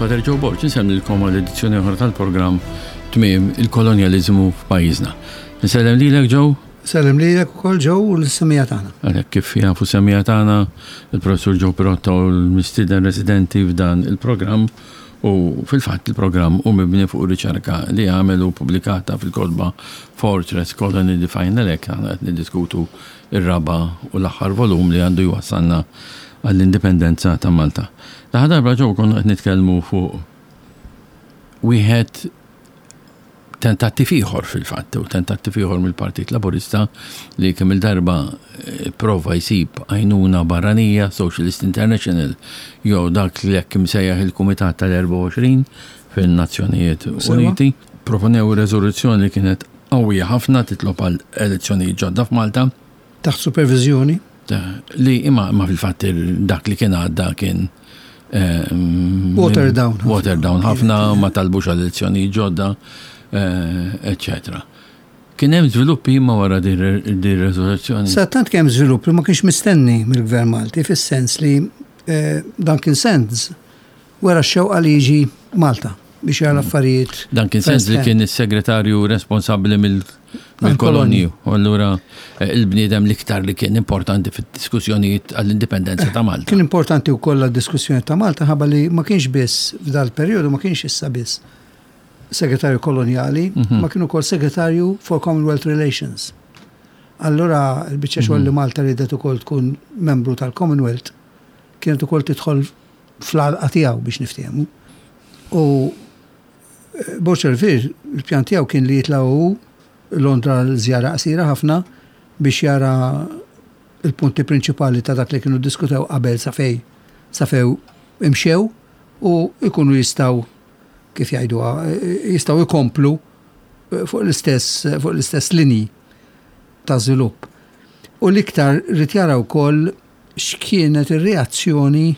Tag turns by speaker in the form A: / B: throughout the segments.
A: Father Joe Borg, insellmilkom għal edizzjoni oħra tal-programm Tmiem il-Kolonjaliżmu f'pajjiżna. Nsellem lilek Joe.
B: Sellem lilek ukoll Joe u l-semija tagħna.
A: Għalhekk kif jafu semija tagħna, il-Professur Joe Pirotta u l-mistieden residenti f'dan il-programm u fil-fatt il-programm hu mibni fuq riċerka li għamel u pubblikata fil-kotba Fortress Colony The Final Act aħna qed niddiskutu ir-raba' u l-aħħar volum li għandu jwassalna għall-indipendenza ta' Malta. L-aħħar darba Joe konna qed nitkellmu fuq wieħed tentattiv ieħor fil-fatt, u tentattiv ieħor mill-Partit Laburista li kemm il-darba eh, prova jsib għajnuna barranija, Socialist International, jew dak li hekk imsejjaħ il-Kumitat tal-24 fin-Nazzjonijiet Uniti, proponew riżoluzzjoni li kienet qawwija ħafna titlob għal elezzjonijiet ġodda f'Malta.
B: Taħt superviżjoni?
A: Li imma imma fil-fatt dak li kien għadda kien
B: ehm, Water down.
A: Water down ħafna, ma talbux għal elezzjoni ġodda, eccetera. Eh, kien hemm żviluppi imma wara din ir-reżoluzzjoni.
B: Sa tant kemm żvilupp li ma kienx mistenni mill-Gvern Malti fis-sens li eh, dan kien sens wera x-xewqa li jiġi Malta biex jara l-affarijiet.
A: Dan kien sens li kien is-segretarju responsabbli mill-kolonji. U allura eh, il-bniedem l-iktar li kien importanti fid-diskussjonijiet għall-indipendenza ta' Malta.
B: Kien importanti wkoll għad-diskussjoni ta' Malta ħabba li ma kienx biss f'dal-perjodu ma kienx issa biss segretarju kolonjali, mhm. ma kien ukoll segretarju for Commonwealth Relations. Allura l-biċċa xogħol li mhm. Malta ridet ukoll tkun membru tal-Commonwealth kienet ukoll tidħol fl-għalqa tiegħu biex niftehmu. U eh, Borċer Vir, il-pjan tiegħu kien li jitla' hu Londra l-żjara qasira ħafna biex jara il-punti prinċipali ta' dak li kienu diskutew qabel sa fej sa few imxew u jkunu jistgħu kif jgħiduha jistgħu jkomplu eh, fuq l-istess fuq l-istess linji ta' żvilupp. U l-iktar rid jara wkoll x'kienet ir-reazzjoni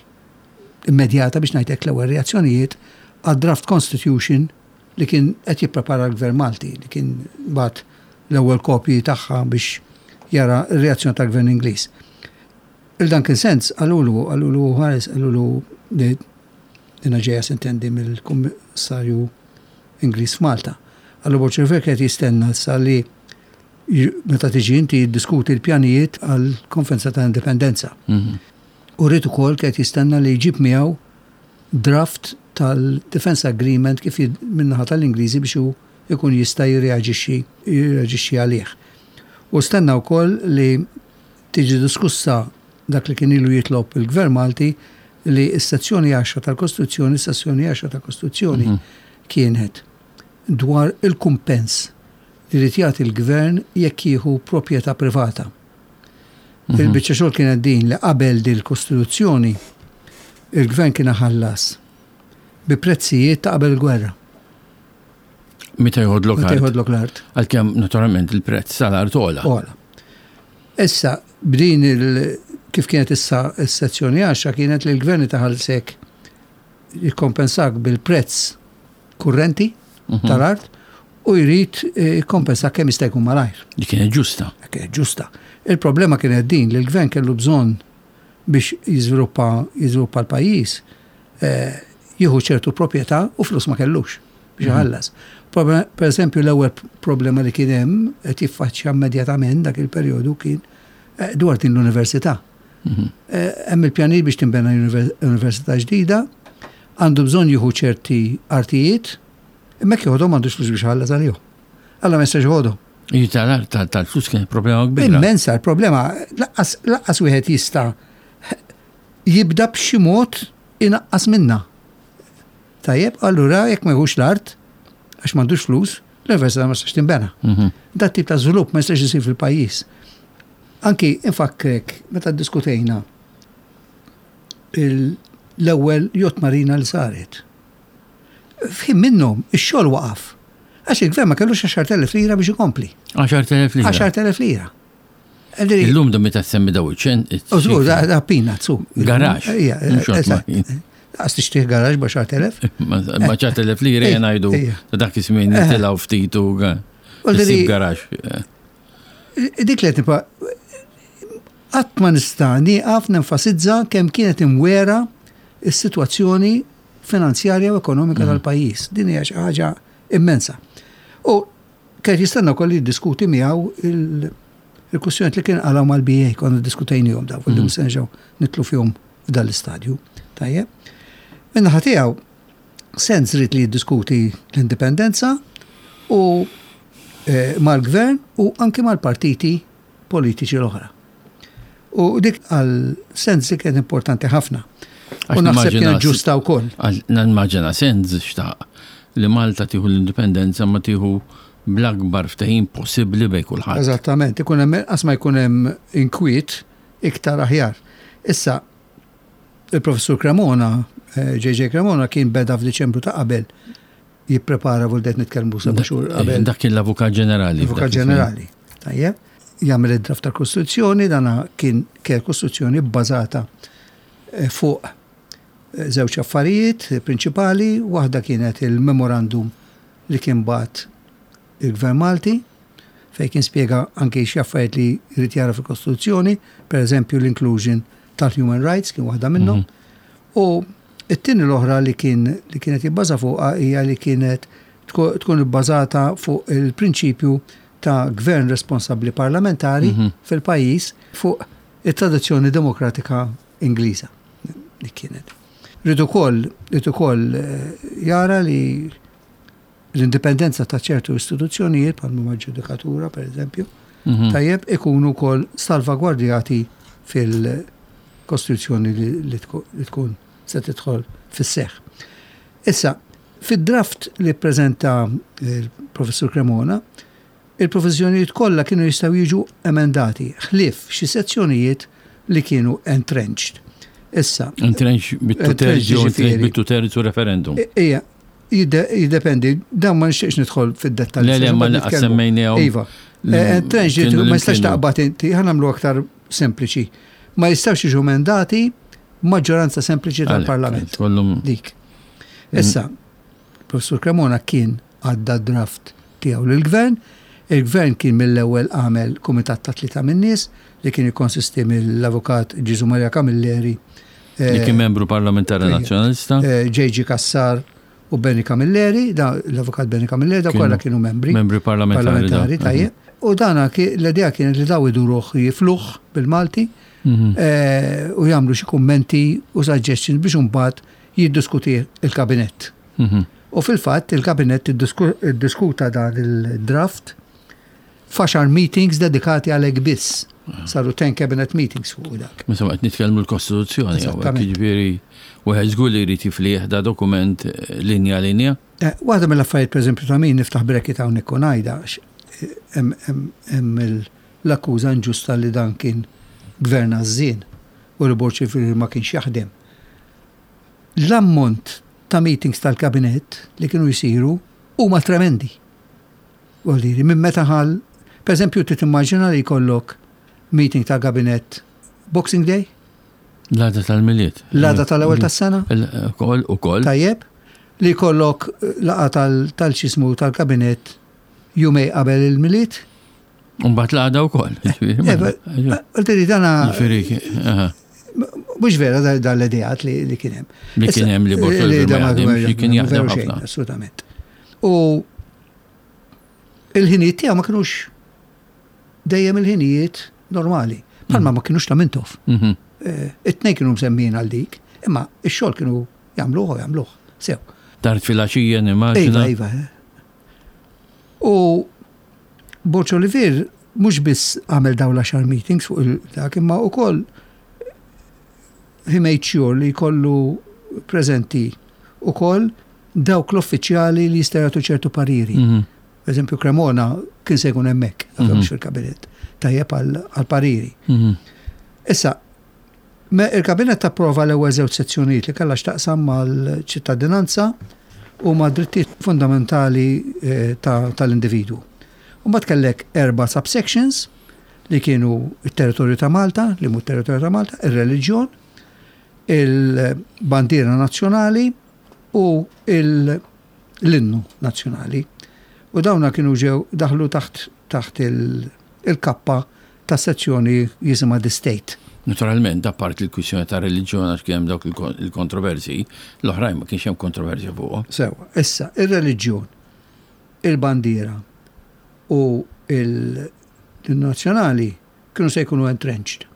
B: immedjata biex ngħid hekk l-ewwel reazzjonijiet għad-draft constitution li kien qed jipprepara l-Gvern Malti li kien bagħat l-ewwel kopji tagħha biex jara r-reazzjoni tal-Gvern Ingliż. Il Duncan Sands qalulu, qalulu ħares, qalulu li dina ġejja sintendi mill-Kummissarju Ingliż f'Malta. Qallu Borg River qed jistenna issa li meta tiġi inti jiddiskuti l-pjanijiet għall-Konferenza ta' Indipendenza. Mhm. U rrid ukoll qed jistenna li jġib miegħu draft tal-Defense Agreement kif min-naħa tal-Ingliżi biex hu jkun jista' jirreaġixxi jirreaġixxi għalih. U stenna wkoll li tiġi diskussa dak li kien ilu jitlob il-Gvern Malti li s-sezzjoni 10 tal-Kostituzzjoni, s-sezzjoni 10 tal-Kostituzzjoni mhm. kienet dwar il-kumpens li jrid jagħti l-gvern jekk jieħu proprjetà privata. Mhm. Il-biċċa xogħol kienet din li qabel din il-Kostituzzjoni il-gvern kien ħallas bi prezzijiet ta' qabel il-gwerra.
A: Meta jħodlok
B: Meta jħodlok l-art.
A: Għalkemm naturalment il-prezz tal-art ogħla.
B: Ogħla. Issa b'din il kif kienet issa s-sezzjoni 10 kienet li l-gvern taħallsek jikkompensak bil-prezz kurrenti mhm. tal-art u jrid eh, jikkompensa kemm jista' jkun malajr.
A: Li kienet ġusta.
B: Kienet ġusta. Il-problema kienet din li l-gvern kellu bżonn biex jiżviluppa jiżviluppa l-pajjiż eh, jieħu ċertu proprjetà u flus ma kellux biex mhm. iħallas. Per eżempju, l-ewwel problema li kien hemm qed jiffaċċja immedjatament dak il-perjodu kien eh, dwar din l-università. Mhm. Hemm il-pjanijiet biex tinbena università ġdida, għandu bżonn jieħu ċerti artijiet, imma jekk joħodhom m'għandux flus biex iħallas għalihom. Alla ma jistax joħodhom.
A: Tal-flus kien problema kbira.
B: Immensa l-problema, laqqas wieħed jista' jibda b'xi mod inaqqas minna. Tajjeb, allura jekk ma jħux l-art, għax m'għandux flus, l-università ma jistax tinbena. Mhm. Dat tip ta' żvilupp ma jistax isir fil-pajjiż. Anki infakkrek meta ddiskutejna l-ewwel yacht marina li saret. F'ħin minnhom ix-xogħol waqaf. Għax il-gvern ma kellux 10,000 lira biex ikompli.
A: 10,000 lira.
B: 10,000 lira.
A: Illum da meta semmi daw iċ-ċen.
B: Użgur, da peanuts, su.
A: Garax.
B: Għas tixtieq garax ba' 10,000.
A: Ma' 10,000 lira jgħidu dak iż-żmien jitilgħu ftit u garax.
B: Dik li qed qatt ma nista' nieqaf nenfasizza kemm kienet imwera s-sitwazzjoni. finanzjarja u ekonomika tal-pajjiż. Din hija xi ħaġa immensa. U kien jistenna wkoll li jiddiskuti miegħu il-kwistjonijiet li kien qalgħu mal-BA, konna ddiskutejnihom dawn, li mhux se nerġgħu nidħlu fihom f'dan l-istadju. Tajjeb. Min-naħa tiegħu, Sands ried li jiddiskuti l-indipendenza u mal-gvern u anki mal-partiti politiċi l-oħra. U dik għal Sands li kienet importanti ħafna. U naħseb kienet ġusta wkoll.
A: Nimmaġina Sands xtaq li Malta tieħu l-indipendenza ma tieħu bl-akbar ftehim possibbli bejn kulħadd.
B: Eżattament, ikun hemm inqas ma jkun hemm inkwiet iktar aħjar. Issa, il-Professur Cremona, JJ Cremona kien beda f'Diċembru ta' qabel jipprepara vuol qed nitkellmu seba' xhur qabel.
A: Dak kien l-Avukat Ġenerali.
B: L-Avukat Ġenerali. Tajjeb. Jagħmel id-draft tal-Kostituzzjoni, dana kien kien Kostituzzjoni bbażata eh, fuq eh, żewġ affarijiet prinċipali, waħda kienet il-memorandum li kien bat il-Gvern Malti, fejn kien spjega anke xi affarijiet li jrid jara fil-Kostituzzjoni, per eżempju l-inclusion tal-human rights kien waħda minnhom. U It-tieni l-oħra li kien li kienet jibbaża fuqha hija li kienet tkun ibbażata fuq il-prinċipju ta' gvern responsabbli parlamentari fil-pajjiż fuq it-tradizzjoni demokratika Ingliża li kienet. Ried ukoll ried ukoll jara li l-indipendenza ta' ċertu istituzzjonijiet bħal huma l-ġudikatura pereżempju, tajjeb ikunu wkoll salvagwardjati fil-Kostituzzjoni li tkun se tidħol fis-seħħ. Issa, fid-draft li ppreżenta l-Professur Cremona, il-proviżjonijiet kollha kienu jistgħu jiġu emendati, ħlief xi sezzjonijiet li kienu entrenched. Issa.
A: Entrenched bit-two-thirds jew entrenched bit-two-thirds u referendum.
B: Ija, jiddependi, dan ma nixtieqx nidħol fid-dettalji.
A: Le, le, ma laqas semmejnihom.
B: Iva. Entrenched ma jistax taqbad inti, ħa nagħmlu aktar sempliċi. Ma jistgħux jiġu emendati maġġoranza sempliċi tal-Parlament. Dik. Issa, Professur Cremona kien għadda draft tiegħu lill-Gvern. Il-Gvern kien mill-ewwel għamel kumitat ta' tlieta min-nies li kien jikkonsisti mill-Avukat Ġieżu Maria Camilleri,
A: Li kien membru parlamentari Nazzjonalista.
B: J.G. Cassar u Benny Camilleri, l-Avukat Benny Camilleri, dawn kollha kienu membri.
A: Membri parlamentari.
B: Parlamentari, tajjeb. U dana l-idea kienet li daw iduruh jifluh bil-Malti u jagħmlu xi kummenti u suggestions biex imbagħad jiddiskutih il-Kabinett. U fil-fatt il-Kabinett iddiskuta dan il-draft f'għaxar meetings dedikati għalhekk biss. Saru 10 cabinet meetings fuq dak.
A: Insomma, qed nitkellmu l-Kostituzzjoni, jiġifieri wieħed żgur li jrid jiflih da dokument linja linja.
B: Waħda mill-affarijiet pereżempju ta' min niftaħ bracket hawnhekk u ngħidha għax hemm l-akkuża inġusta li dan kien gvern għażżien u li Borg Olivier ma kienx jaħdem. L-ammont ta' meetings tal-kabinett li kienu jsiru huma tremendi. Vuol dire, minn meta ħal, per eżempju, trid timmaġina li jkollok meeting tal-kabinett Boxing Day?
A: L-għada tal-Milied.
B: L-għada tal-ewwel tas-sena?
A: Ukoll, ukoll.
B: Tajjeb, li jkollok laqgħa tal-xismu tal-kabinett jumej qabel il-Milied?
A: Mbagħad l-għada wkoll.
B: Għaltiri dana. Mhux vera dan l-ideat li kien hemm.
A: Li kien hemm li Bortol kien jaħdem ħafna.
B: Assolutament. U il-ħinijiet tiegħu ma kinux dejjem il-ħinijiet normali. Bħalma ma kinux ta' Mintoff. It-tnejn kienu msemmin għal dik, imma x-xogħol kienu jagħmluh u jagħmluh sew.
A: Tard filgħaxija nimmaġina.
B: Iva, iva. U Borg Olivier mhux biss għamel dawn l-għaxar meetings fuq il-dak, imma wkoll he made sure li jkollu preżenti wkoll dawk l-uffiċjali li jistgħu jagħtu ċertu pariri. Per eżempju, Cremona kien se jkun hemmhekk, mhux fil-kabinett, tajjeb għal pariri. Issa, il-kabinett approva l-ewwel żewġ sezzjonijiet li kellha x'taqsam mal-ċittadinanza u ma' drittijiet fundamentali tal-individwu. U mbagħad kellek erba' subsections li kienu it-territorju ta' Malta, li mhu territorju ta' Malta, ir-reliġjon, il-bandiera nazzjonali u l-innu nazzjonali. U dawna kienu ġew daħlu taħt taħt il-kappa ta' sezzjoni jisimha The State.
A: Naturalment, apparti l-kwistjoni ta' reliġjon għax kien hemm dawk il-kontroversji, l-oħrajn ma kienx hemm kontroversja fuqhom.
B: Sewwa, issa, ir-reliġjon, il-bandiera u l-nazzjonali kienu se jkunu entrenched.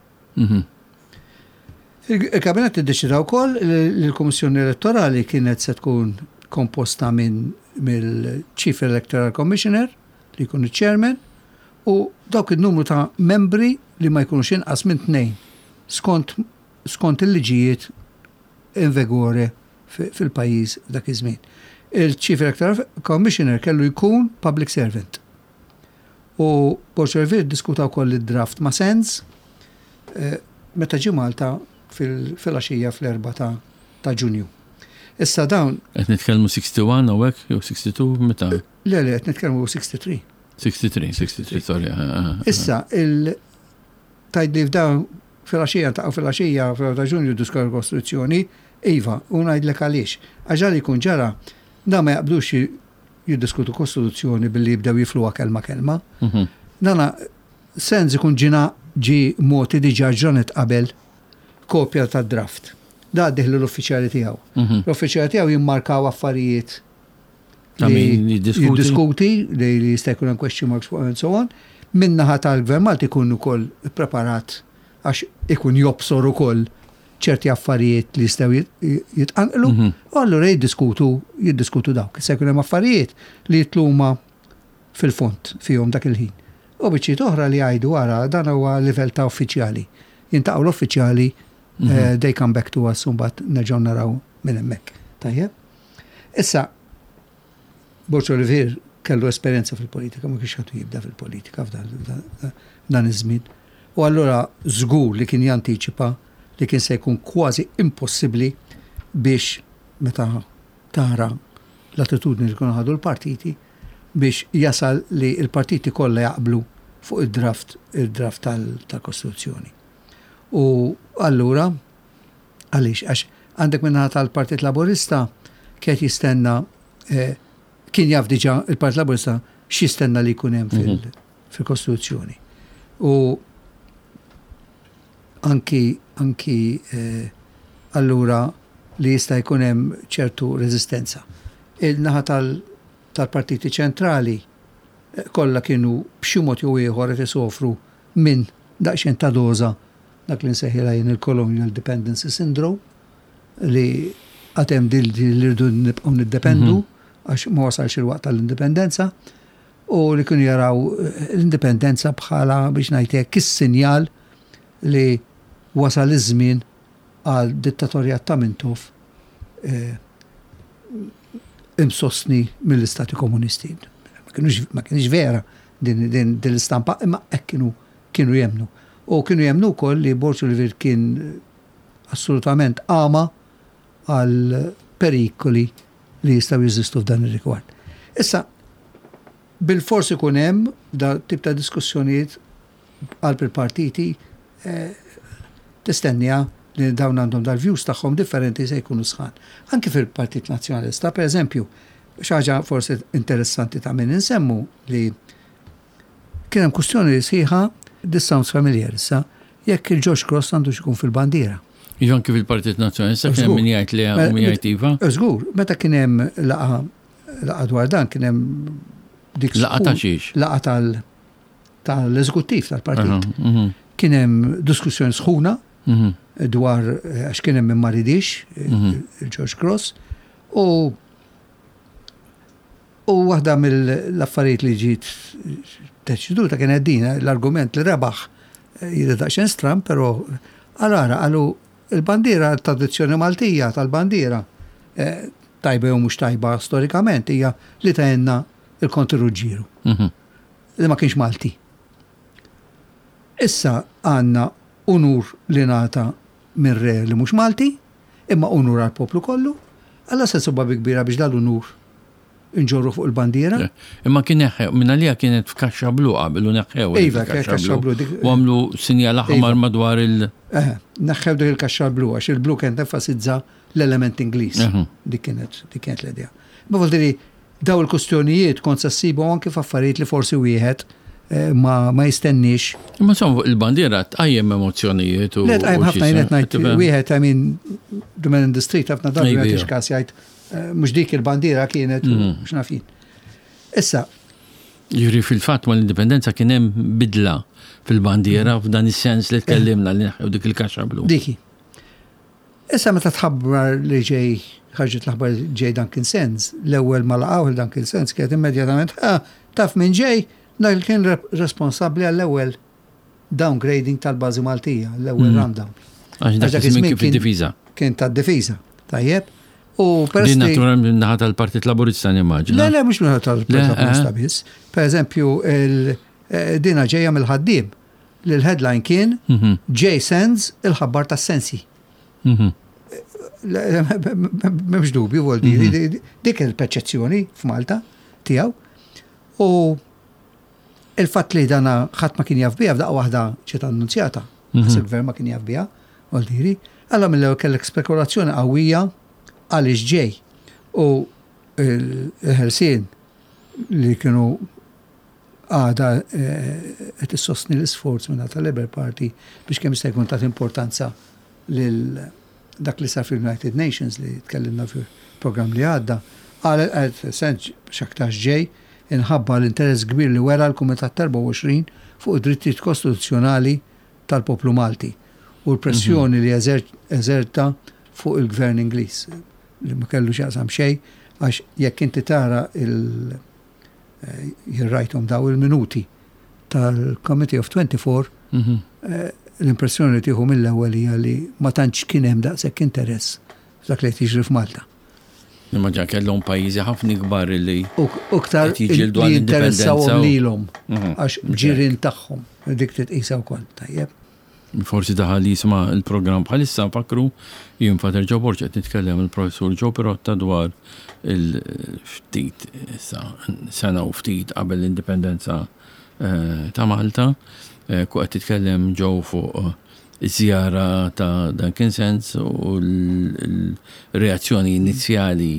B: Il-Kabinett iddeċida wkoll li l-Kummissjoni Elettorali kienet se tkun komposta minn mill-Chief Electoral Commissioner, li jkun iċ-Chairman, u dawk in-numru ta' membri li ma jkunux inqas minn tnejn skont skont il-liġijiet in vigore fil-pajjiż f'dak iż-żmien. Il-Chief Electoral Commissioner kellu jkun public servant. U Borg Olivier ddiskuta wkoll id-draft ma' Sands meta ġie Malta fil-għaxija fl-4 ta' Ġunju. Issa dawn.
A: Qed nitkellmu 61 hawnhekk jew 62 meta?
B: Le, le, qed nitkellmu 63.
A: 63, 63, sorry.
B: Issa, il tgħidli f'dawn fil-għaxija ntaqgħu fil-għaxija fl-4 ta' Ġunju ddiskutew il-Kostituzzjoni, iva, u ngħidlek għaliex. Għax dan li jkun ġara, dawn ma jaqbdux jiddiskutu Kostituzzjoni billi jibdew jifluha kelma kelma. Dana Sands ikun ġina ġie mogħti diġà ġranet qabel kopja tad-draft. Da għaddih lill-uffiċjali tiegħu. L-uffiċjali tiegħu jimmarkaw affarijiet li jiddiskuti li jista' jkun hemm question marks fuq and so on. Min-naħa tal-Gvern Malti jkun ukoll ippreparat għax ikun jobsor ukoll ċerti affarijiet li jistgħu jitqanqlu, u allura jiddiskutu jiddiskutu dawk. Issa jkun hemm affarijiet li jitlu huma fil-fond fihom dak il-ħin. U biċċiet oħra li jgħidu ara dan huwa livell ta' uffiċjali. Jintaqgħu l-uffiċjali, they come back to us u mbagħad nerġgħu naraw minn hemmhekk. Tajjeb? Issa, Borg Olivier kellu esperjenza fil-politika, ma kienx għadu jibda fil-politika f'dan iż-żmien. U allura żgur li kien jantiċipa li kien se jkun kważi impossibbli biex meta tara l-attitudni li kienu ħadu l-partiti biex jasal li l-partiti kollha jaqblu fuq id-draft il-draft tal-Kostituzzjoni. U allura għaliex? Għax għandek min-naħa tal-Partit Laburista kien jistenna kien jaf diġà il-Partit Laburista x'jistenna li jkun hemm fil-Kostituzzjoni. U anki anki allura li jista' jkun hemm ċertu reżistenza. Il-naħa tal-partiti ċentrali kollha kienu b'xi mod jew ieħor qed isofru minn daqsxejn ta' doża dak li nsejħilha jien il-colonial dependency syndrome li għad hemm din li rridu nibqgħu niddependu għax ma wasalx il-waqt tal-indipendenza u li kienu jaraw l-indipendenza bħala biex ngħid hekk is-sinjal li wasal iż-żmien għal dittatorjat ta' Mintoff imsostni mill-istati komunisti. Ma kienx vera din l-istampa, imma hekk kienu kienu jemmnu. U kienu jemmnu wkoll li Borg Olivier kien assolutament għama għal perikoli li jistgħu jeżistu f'dan ir-rigward. Issa, bilfors ikun hemm da tip ta' diskussjonijiet qalb il-partiti eh, tistennija li dawn għandhom dal-views tagħhom differenti se jkunu sħan. Anki fil-Partit Nazzjonalista, per eżempju, xi ħaġa forsi interessanti ta' min insemmu li Kien hemm kwistjoni sħiħa, this sounds familiar issa, jekk il-George Cross għandux ikun fil-bandiera.
A: Iva anki fil-Partit Nazzjonalista kien hemm min jgħid li u min jgħid iva.
B: Żgur, meta kien hemm laqgħa laqgħa dwar dan kien hemm
A: dik Laqgħa ta' xiex?
B: Laqgħa tal tal-eżekuttiv tal-partit. Mhm. Kien hemm diskussjoni sħuna mhm. dwar eh, għax kien hemm min ma ridix eh, mhm. il-George Cross u U waħda mill-affarijiet li ġiet deċiduta kienet din, l-argument li rebaħ jidher daqsxejn stramb, però għal ara qalu il-bandiera tradizzjoni Maltija tal-bandiera eh, tajba jew mhux tajba storikament hija li tajna il-Konti Ruġġieru. Mhm. Li ma kienx Malti. Issa għandna unur li ngħata minn re li mhux Malti, imma unur għall-poplu kollu, alla se nsibha bi kbira biex dal-unur inġorru fuq il-bandiera.
A: Imma kien neħħew, minn għalija kienet f'kaxxa blu qabel u neħħew.
B: Iva, kaxxa blu.
A: U għamlu sinjal aħmar iva. madwar il-
B: Eh, neħħew dik il-kaxxa blu għax il-blu kien tenfasizza l-element Ingliż. Dik kienet dik kienet l-idea. Ma vuol daw il-kustjonijiet kont se ssibu anke f'affarijiet li forsi wieħed eh, ma, ma jistenniex.
A: Imma insomma il-bandiera tqajjem emozzjonijiet u.
B: Le tqajjem ħafna jien qed ngħid wieħed I mean the man in the street ħafna drabi ma jagħtix każ jgħid eh, mhux dik il-bandiera kienet mm. x'naf jien. Issa.
A: Jiġri fil-fatt mal-indipendenza kien hemm bidla fil-bandiera mm. f'dan is-sens li tkellimna li neħħew dik il-kaxxa blu.
B: Diki. Issa meta tħabbar li ġej ħarġet l-aħbar ġej Duncan Sands, l-ewwel ma laqgħuh il Duncan Sands kienet immedjatament taf min ġej, dak li kien responsabbli għall-ewwel downgrading tal-bażi Maltija, l-ewwel mm. rundown.
A: Għax dak iż-żmien kien fid-difiża.
B: Kien tad-difiża, tajjeb. U
A: peress Din naturalment minn naħa tal-Partit Laburista nimmaġina.
B: Le, le, mhux minn naħa tal-Partit Laburista eh? biss. Per eżempju, eh, dina ġejja mill-ħaddiem li l-headline kien mhm. J. Sands il-ħabbar tas-sensi. Mhm. M'hemmx dubju, vuol dire, mhm. dik il-perċezzjoni f'Malta tiegħu. U il-fatt li dana ħadd ma kien jaf biha f'daqqa waħda ġiet annunzjata, għas il-gvern ma kien jaf biha, vuol dire, alla mill-ewwel kellek spekulazzjoni qawwija għaliex ġej. U il-ħelsien li kienu għadha qed issostni l-isforz minn tal-Labour Party biex kemm jista' jkun tagħti importanza lil dak li sar fil-United Nations li tkellimna fil-programm li għadda, qalet qalet sens x'aktarx ġej inħabba l-interess kbir li wera l-Kumitat 24 fuq id-drittijiet kostituzzjonali tal-poplu Malti u l-pressjoni li eżerta fuq il-Gvern Ingliż li ma kellu x'jaqsam xejn għax jekk inti tara il- Jien rajthom daw il-minuti tal-Committee of 24, mhm. eh, l-impressjoni li tieħu mill-ewwel hija li ma tantx kien hemm daqshekk interess f'dak li qed jiġri f'Malta.
A: Imma ġa kellhom pajjiżi ħafna kbar li
B: u iktar jiġildu għal interessawhom lilhom mhm. għax ġirien tagħhom dik titqisha wkoll tajjeb.
A: Forsi daħal jisma' l-programm bħalissa nfakkru jien Father Joe Borg qed nitkellem il-Professur Joe Pirotta dwar il-ftit issa sena u ftit qabel l-indipendenza eh, ta' Malta. Eh, ku qed titkellem Joe fuq iż-żjara ta' Duncan Sands u l-reazzjoni inizjali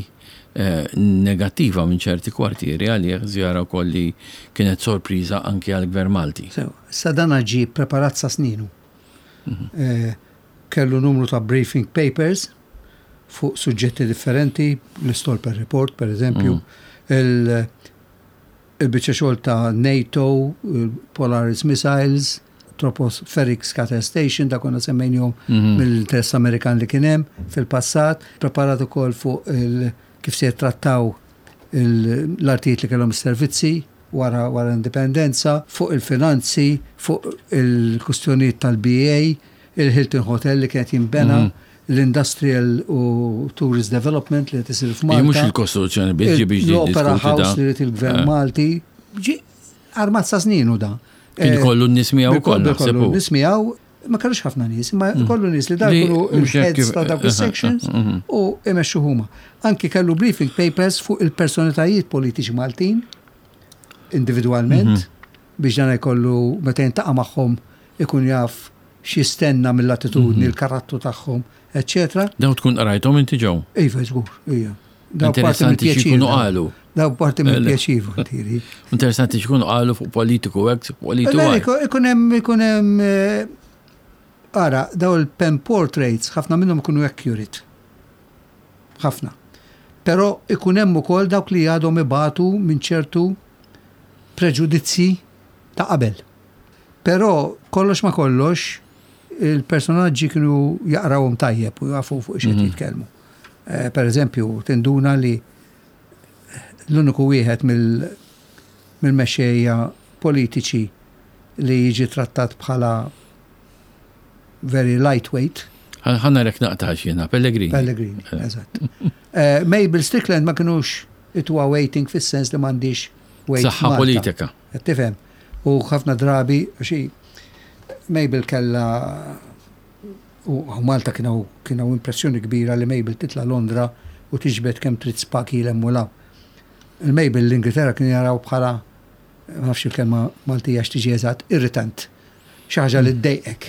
A: eh, negattiva minn ċerti kwartieri għalih żjara wkoll li kienet sorpriża anki għall-Gvern Malti.
B: Sew, issa dan ġie ppreparat sa sninu. Eh, kellu numru ta' briefing papers fuq suġġetti differenti, l-Stolper Report per eżempju, mm. il-biċċa xogħol ta' NATO, Polaris Missiles, Tropospheric Scatter Station, da konna semmejnihom mhm. mill-interess Amerikan li kien hemm fil-passat, preparat ukoll fuq kif se jittrattaw l-artijiet li kellhom is-servizzi wara wara l-indipendenza, fuq il-finanzi, fuq il-kustjonijiet tal-BA, il-Hilton Hotel li kienet jinbena, mhm. l-Industrial u Tourist Development li qed isir f'Malta.
A: Mhux il-kostruzzjoni biex biex
B: L-Opera House li rid il-Gvern eh. Malti. Armat sa sninu da.
A: Kien eh, kollu n-nies miegħu
B: ukoll. Kollu n-nies miegħu, ma kellux ħafna nies, ma mm. kollu nies li dak kienu il-heads ta' dawk is-sections mm-hmm. u imexxu huma. Anki kellu briefing papers fuq il-personalitajiet politiċi Maltin individwalment mm-hmm. biex dan jkollu meta jintaqa' magħhom ikun jaf x'jistenna mill-attitudni, mm-hmm. il-karattru tagħhom, eċċetera.
A: Daw tkun qrajthom inti ġew?
B: Iva, żgur, ija.
A: Daw parti mill-pjaċir. qalu.
B: Daw parti mill-pjaċir, tiri.
A: Interessanti x'ikunu qalu fuq politiku hekk,
B: politiku. Ikun hemm ikun hemm eh, ara, daw il-pen portraits ħafna minnhom ikunu accurate. Ħafna. Però ikun hemm ukoll dawk li għadhom ibatu minn ċertu preġudizzji ta' qabel. Però kollox ma kollox il-personaġġi kienu jaqrawhom tajjeb u jafu fuq x'qed mhm. jitkellmu. Eh, per eżempju, tinduna li l-uniku wieħed mill-mexxejja politiċi li jiġi trattat bħala very lightweight.
A: Ħanna rek naqtax jena, Pellegrini.
B: Pellegrini, eh. eżatt. Eh, Mabel Strickland ma kienux itwa waiting fis-sens li m'għandix
A: wait. Saħħa politika.
B: Tifhem. U ħafna drabi, xi Mabel kella U Malta kien hawn kien hawn impressjoni kbira li Mabel titla' Londra u tiġbed kemm trid spaki 'l hemm u 'l hawn. Il-Mabel l-Ingilterra kienu jaraw bħala, ma nafx il-kelma Maltija x'tiġi eżatt, irritant. Xi ħaġa li ddejqek.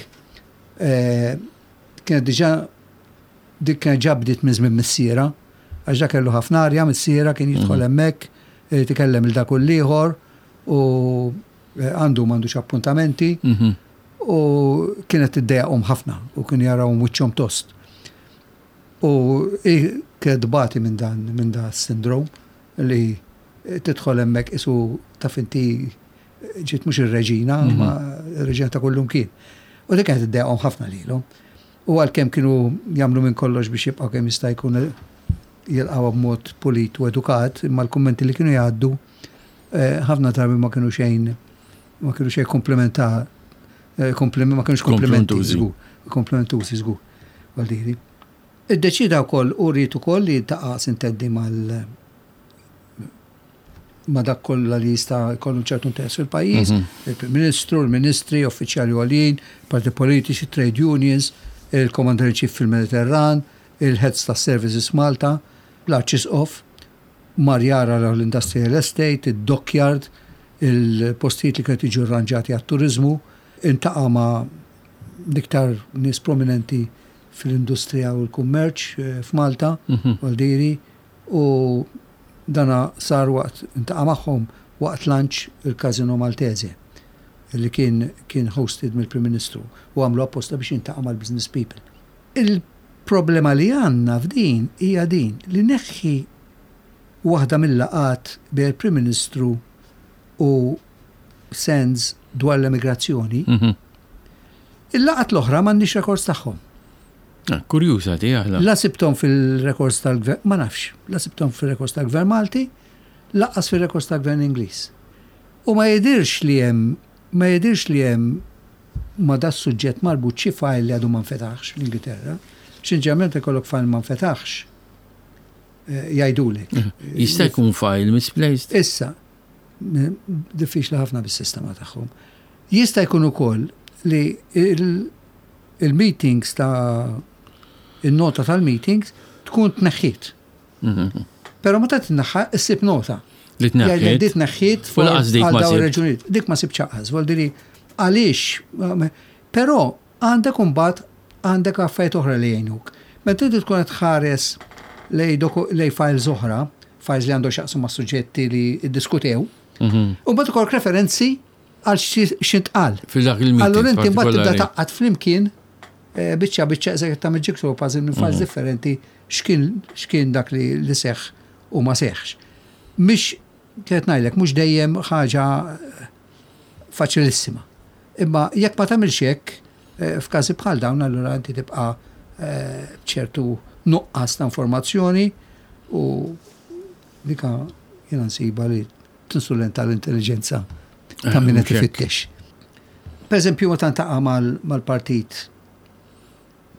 B: Kienet diġà dik kienet ġa bdiet minn żmien missierha, għax dak kellu ħafna arja missierha kien jidħol hemmhekk, irid ikellem lil dak u l-ieħor u. Għandu m'għandux appuntamenti u kienet tiddejjaqhom ħafna u kienu jarawhom wiċċhom tost. U hi kienet tbati minn dan minn da s-sindrom li tidħol hemmhekk qisu taf inti ġiet mhux ir-reġina, imma r-reġina ta' kullumkien. U dik kienet iddejjaqhom ħafna lilhom. U għalkemm kienu jagħmlu minn kollox biex jibqgħu kemm jista' jkun jilqgħuha b'mod pulit u edukat, imma l-kummenti li kienu jgħaddu ħafna drabi ma kienu xejn ma kienu xejn komplimenta ma kienux komplimenti żgur, komplimentużi żgur. Għaldiri. Iddeċida wkoll u rrid ukoll li jiltaqa' sintendi mal ma dak kollha li jista' jkollu ċertu interess fil-pajjiż, il-Prim Ministru, il-Ministri, uffiċjali għoljin, parti politiċi, trade unions, il-Commander in Chief fil-Mediterran, il-Heads ta' Services Malta, l-Arċisqof, mar jara l-Industrial Estate, id-Dockyard, il-postijiet li kienu jiġu rranġati għat-turiżmu, iltaqa' ma' l-iktar nies prominenti fil-industrija u l-kummerċ f'Malta, Valdiri, u dana sar waqt iltaqa' magħhom waqt lunch il-Casino Maltese li kien kien hosted mill-Prim Ministru u għamlu apposta biex jiltaqa' mal-business people. Il-problema li għandna f'din hija din li neħħi waħda mill-laqgħat bejn il-Prim Ministru u Sands dwar l-emigrazzjoni, il-laqgħat l-oħra m'għandniex rekords tagħhom.
A: Ah, kurjuża di aħna.
B: La sibthom fil-rekords tal-gvern, ma nafx, la sibthom fil-rekords tal-gvern Malti, lanqas fil-rekords tal-gvern Ingliż. U ma jidirx li hemm, ma jidirx li hemm ma da suġġett marbut xi file li għadu ma nfetaħx fl-Ingilterra. X'inġeneralment ikollok file ma nfetaħx jgħidulek.
A: Jista' jkun file misplaced.
B: Issa, diffiċli ħafna bis-sistema tagħhom. Jista' jkun ukoll li il-meetings ta' il-nota tal-meetings tkun tneħħiet. Però meta tneħħa issib nota.
A: Li tneħħiet.
B: Di tneħħiet
A: U lanqas dik ma
B: sibt. raġunijiet. Dik ma sibtx anqas, vuol għaliex. Però għandek imbagħad għandek affarijiet oħra li jgħinuk. Meta inti tkun qed tħares lej files oħra, files li għandhom x'jaqsmu ma' suġġetti li ddiskutew, u mbagħad ikollok referenzi għal x'intqal.
A: Fil-dak il-meeting
B: Allura inti mbagħad tibda tgħaqqad flimkien biċċa biċċa eżatt tagħmel jigsaw puzzle minn files differenti x'kien dak li seħħ u ma seħħx. Mhix qed ngħidlek mhux dejjem ħaġa faċilissima. Imma jekk ma tagħmilx hekk, f'każi bħal dawn allura inti tibqa' b'ċertu nuqqas ta' informazzjoni u dika jiena nsiba li tinsulenta l-intelligenza ta' min qed ifittex. Per eżempju, meta ntaqa' mal-partit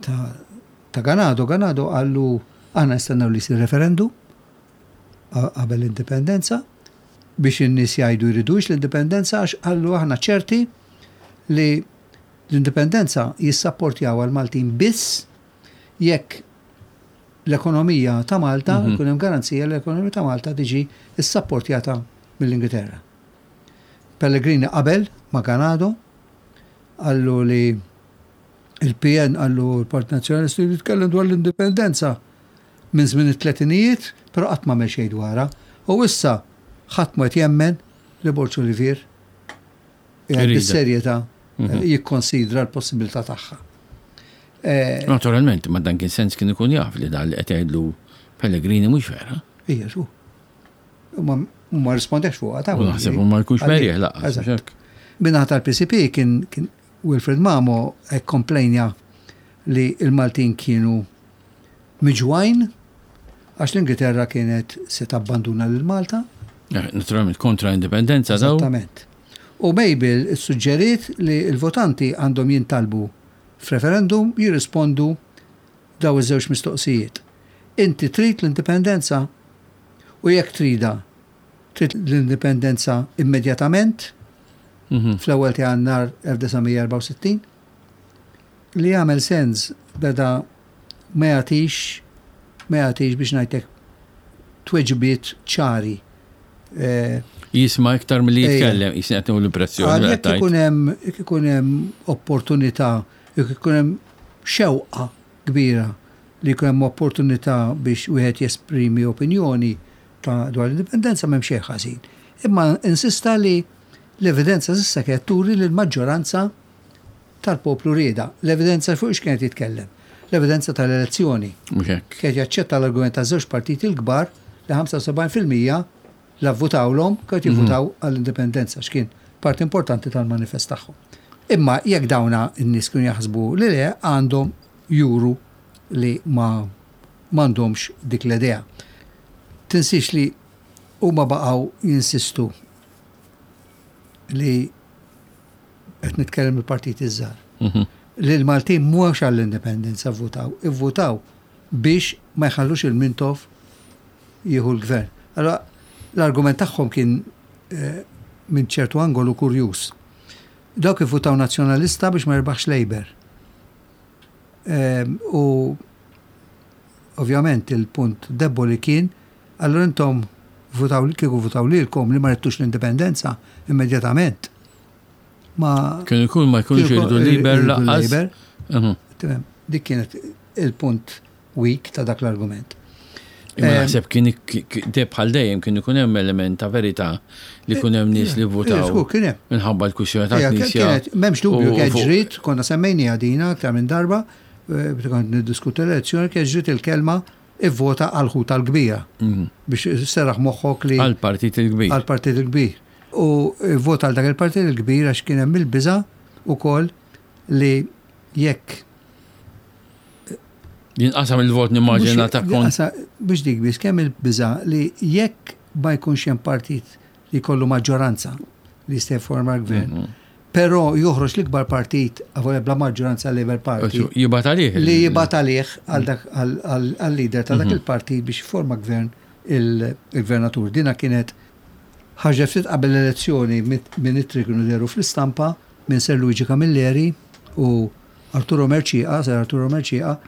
B: ta' Ganado, Ganado qallu aħna nistennew li jsir referendum qabel l-indipendenza biex in-nies jgħidu jridux l-indipendenza għax qallu aħna ċerti li l-indipendenza jissapportjawha l-Maltin biss jekk l-ekonomija ta' Malta, jkun hemm garanzija li l-ekonomija ta' Malta tiġi ssapportjata mill-Ingilterra. Pellegrini qabel ma' Ganado, qallu li il-PN qallu l-Partit Nazzjonalista jitkellem dwar l-indipendenza minn żmien it-tletinijiet, però qatt ma għamel xejn dwarha. U issa ħadd ma qed jemmen li Borg Olivier qiegħed bis-serjetà jikkonsidra l-possibilità tagħha.
A: Naturalment, ma dan kien sens kien ikun jaf li dan li qed jgħidlu Pellegrini mhux vera.
B: Ija, xu. Ma rispondex fuqha
A: ta' Naħseb ma jkunx merieħ lanqas.
B: Min-naħa tal-PCP kien Wilfred Mamo komplejnja li il-Maltin kienu miġwajn għax l-Ingilterra kienet se tabbanduna lil Malta.
A: Naturalment kontra l-indipendenza
B: daw. Esattament. U Mabel suġġeriet li l-votanti għandhom jintalbu f'referendum jirrispondu daw iż-żewġ mistoqsijiet. Inti trid l-indipendenza? U jekk trida, trid l-indipendenza immedjatament fl-ewwel ta' Jannar 1964? Li jagħmel sens beda ma jagħtix ma jagħtix biex ngħidlek tweġibiet ċari.
A: Jisma' iktar milli jitkellem, jisni qed l-impressjoni.
B: Jekk ikun hemm jekk ikun hemm opportunità, jekk ikun hemm xewqa kbira li jkun hemm opportunità biex wieħed jesprimi opinjoni ta' dwar l-indipendenza m'hemm xejn ħażin. Imma insista li L-evidenza s'issa kienet turi li l-maġġoranza tal-poplu riedha. L-evidenza fuq x'kienet jitkellem? L-evidenza tal-elezzjoni.
A: Mhux hekk.
B: Kienet jaċċetta l-argument taż-żewġ partiti l-kbar li 75% la vvutawlhom kienu jivvutaw għall-indipendenza x'kien parti importanti tal-manifest tagħhom. Imma jekk dawna n-nies kienu jaħsbu li le għandhom juru li ma m'għandhomx dik l-idea. Tinsiex li huma baqgħu jinsistu li qed nitkellem il-partiti żgħar. Li l-Maltin mhux għall-indipendenza vvutaw, ivvutaw biex ma jħallux il-Mintoff jieħu l-gvern. Allora l-argument tagħhom kien eh, minn ċertu angolu kurjuż. Dawk ivvutaw nazzjonalista biex ma jirbaħx Labour. Ehm, u ovvjament il-punt deboli kien allura intom votaw kieku votaw lilkom li ma ridtux l-indipendenza immedjatament.
A: Ma Kien ikun ma jkunx iridu Labour lanqas.
B: Mhm. Dik kienet il-punt weak ta' dak l-argument.
A: Imma naħseb kien bħal dejjem kien ikun hemm element ta' verità li kien hemm nies li votaw.
B: Kien hemm.
A: Minħabba l-kwistjoni ta' Knisja.
B: M'hemmx dubju kien ġrid, konna semmejniha dina aktar minn darba, eh, meta kont niddiskutu l-elezzjoni kien ġrid il-kelma ivvota għal ħuta l-kbira. Mhm. Biex serraħ moħħok li.
A: Għal-partit il-kbir.
B: Għal-partit il-kbir. U vota għal dak il-partit il-kbir għax kien hemm il-biża' ukoll li jekk
A: Jinqasam il-vot nimmaġina ta' kont.
B: Biex dik biss kemm il-biża' li jekk ma jkunx hemm partit li jkollu maġġoranza li jista' jifforma l-gvern, mhm. però joħroġ l-ikbar partit avolja bla maġġoranza Labour Party.
A: Jibgħat għalih.
B: Li jibgħat għalih għal-leader ta' dak mhm. il-partit biex jifforma gvern il-gvernatur. Dina kienet ħaġa ftit qabel l-elezzjoni minn ittri kienu deru fl-istampa minn Sir Luigi Camilleri u Arturo Mercieca, Sir Arturo Mercieca,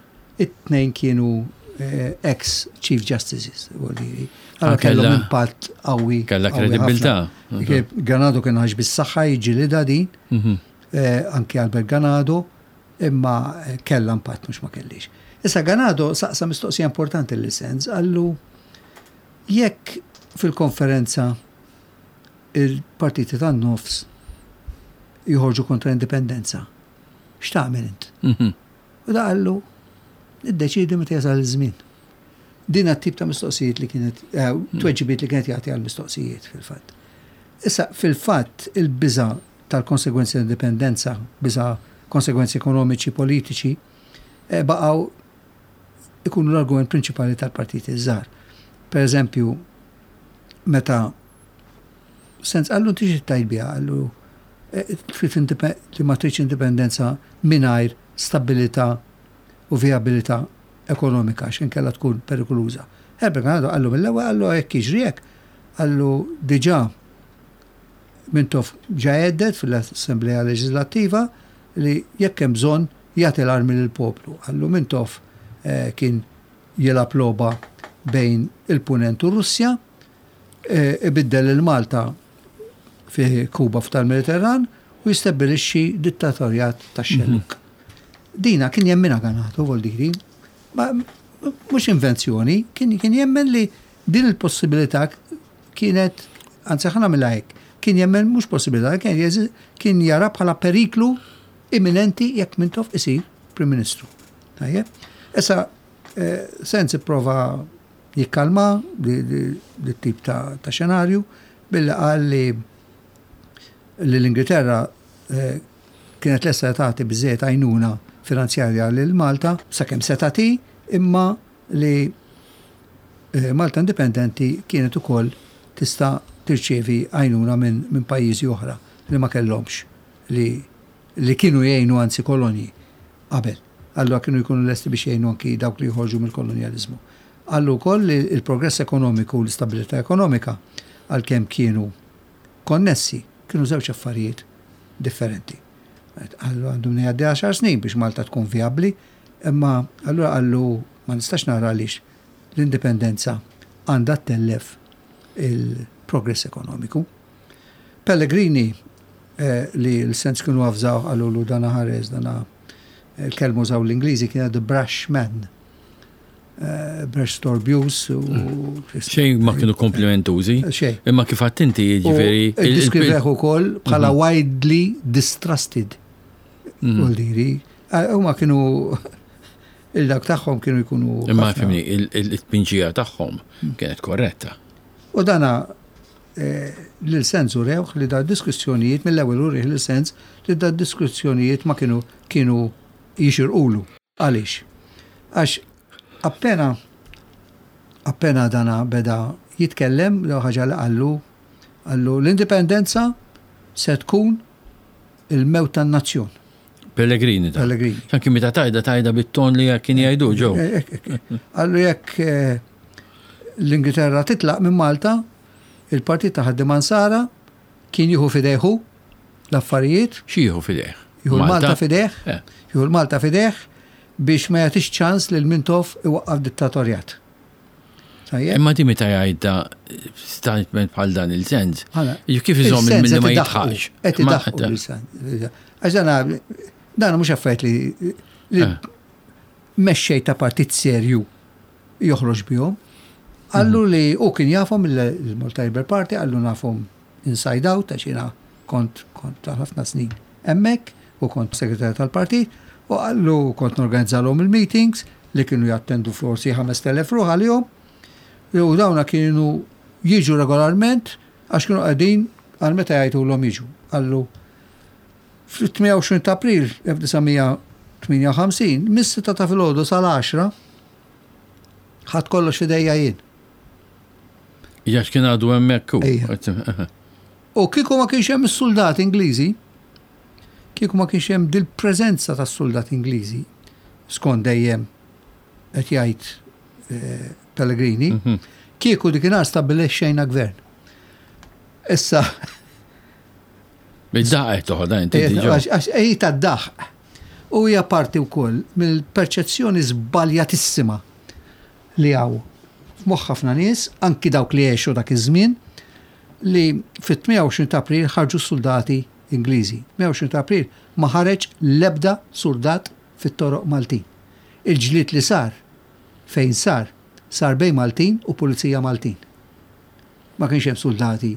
B: it-tnejn kienu eh, ex Chief Justices, vuol dire. Allora kellhom impatt qawwi.
A: Kellha kredibilità.
B: Ganado kien ħax bis-saħħa jiġġielidha din, mhm. eh, anki Albert Ganado, imma eh, kellha impatt mhux ma kellix. Issa Ganado saqsa mistoqsija importanti li sens, għallu jekk fil-konferenza il-partiti tan-nofs joħorġu kontra l-indipendenza, x'tagħmel int? Mhm. U da qallu, iddeċidi meta jasal iż-żmien. Din tip ta' mistoqsijiet li kienet, eh, mhm. tweġibiet li kienet jagħti għal mistoqsijiet fil-fatt. Issa, fil-fatt, il-biża tal-konsegwenzi tal-indipendenza, biża konsegwenzi ekonomiċi, politiċi, eh, baqgħu ikunu l-argument prinċipali tal-partiti żgħar. Per eżempju, meta Sens qallu inti xi tajt biha qallu eh, trid li ma tridx indipendenza mingħajr stabilità u vijabilità ekonomika għax inkella tkun perikoluża. Herbert Ganado qallu mill-ewwel qallu jekk jiġri hekk qallu diġà Mintoff ġa għeddet fil-Assemblea Leġislattiva li jekk hemm bżonn jagħti l-armi lill-poplu. Qallu Mintoff eh, kien jilgħab logħba bejn il-Punent u Russja ibiddel lil Malta fi Kuba f'tal-Mediterran u jistabbilixxi dittatorjat tax-xellug. Dina kien jemminha Ganato, vuol diri, ma mhux invenzjoni, kien kien jemmen li din il-possibilità kienet, anzi ħa nagħmilha hekk, kien jemmen mhux possibilità, kien kien jara bħala periklu imminenti jekk Mintoff isir Prim Ministru. Tajjeb? Issa, eh, Senz ipprova jikkalma li tip ta' xenarju billi qal li li l-Ingilterra eh, kienet lesta tagħti biżejjed għajnuna finanzjarja lil Malta sakemm se tagħti imma li eh, Malta Indipendenti kienet ukoll tista' tirċievi għajnuna minn min pajjiżi oħra li ma kellhomx li li kienu jgħinu anzi kolonji qabel. Allura kienu jkunu lesti biex jgħinu anki dawk li joħorġu mill-kolonjaliżmu. Qallu wkoll li l-progress ekonomiku u l-istabilità ekonomika, għalkemm kienu konnessi, kienu żewġ affarijiet differenti. Qallu għandu minn jgħaddi għaxar snin biex Malta tkun vijabbli, imma allura qallu ma nistax nara għaliex l-indipendenza għandha ttellef il-progress ekonomiku. Pellegrini eh, li l-sens kienu għafżaw qalulu dana ħares dana il-kelma użaw l-Ingliżi kienet the brash man. eh, storbjus u.
A: Xejn ma kienu komplimentużi.
B: Xejn.
A: Imma kif għadt inti jiġifieri.
B: Diskriveħ ukoll bħala mhm. widely distrusted. Mhm. Vuol eh, Huma kienu il-dak tagħhom kienu jkunu.
A: Imma fimni, il-tpinġija tagħhom kienet korretta.
B: U dana eh, lil sens u rewħ li da diskussjonijiet mill-ewwel urih lil sens li da diskussjonijiet ma kienu kienu jixirqulu. Għaliex? Għax appena appena dana beda jitkellem, l ħaġa li qallu, qallu l-indipendenza se tkun il-mewt tan-nazzjon.
A: Pellegrini
B: ta. Pellegrini.
A: Anki meta tajda tajda bit-ton li kien jgħidu ġew.
B: Eh, eh, eh, qallu jekk l-Ingilterra titlaq minn Malta, il-partit ta' ħaddiema Nsara kien jieħu fidejhu l-affarijiet.
A: Xi jieħu fidejh?
B: Jieħu l-Malta fidejh. Eh. Jieħu l-Malta fidejh biex ma jagħtix ċans lil Mintoff iwaqqaf dittatorjat.
A: Imma di meta jgħidha statement bħal dan il-sens. Kif iżomm milli ma jitħax?
B: Qed idaħħu l-sens. Għax dan dan mhux affarijiet li eh. mexxej ta' partit serju joħroġ bihom. Qallu mhm. li u kien jafhom il-Malta Labour Party, qallu nafhom inside out għax jiena kont kont ta' ħafna snin hemmhekk u kont segretarju tal-partit u qallu kont norganizzalhom il-meetings li kienu jattendu forsi 5000 ruħ għalihom u dawna kienu jiġu regolarment għax kienu qegħdin għal meta jgħidulhom jiġu. Qallu fl-28 ta' April 1958 mis-6 ta' filgħodu sal-10 ħadd kollox f'idejja jien.
A: Għax kien għadu hemmhekk hu.
B: U kieku ma kienx hemm is-soldati Ingliżi, kieku ma kienx hemm dil-preżenza tas-soldati Ingliżi, skont dejjem qed jgħid eh, Pellegrini, mhm. kieku dikinhar stabbilexxejna gvern. Issa
A: Bid-daħq qed toħodha inti diġà.
B: Għax hi tad-daħq. U hija parti wkoll mill-perċezzjoni żbaljatissima li hawn f'moħħ ħafna nies, anki dawk li għexu dak iż-żmien, li fit-28 ta' April ħarġu s-suldati Ingliżi. 28 ta' April ma ħareġ l-ebda suldat fit-toroq Maltin. Il-ġlied li sar, fejn sar, sar bejn Maltin u pulizija Maltin. Ma kienx hemm suldati.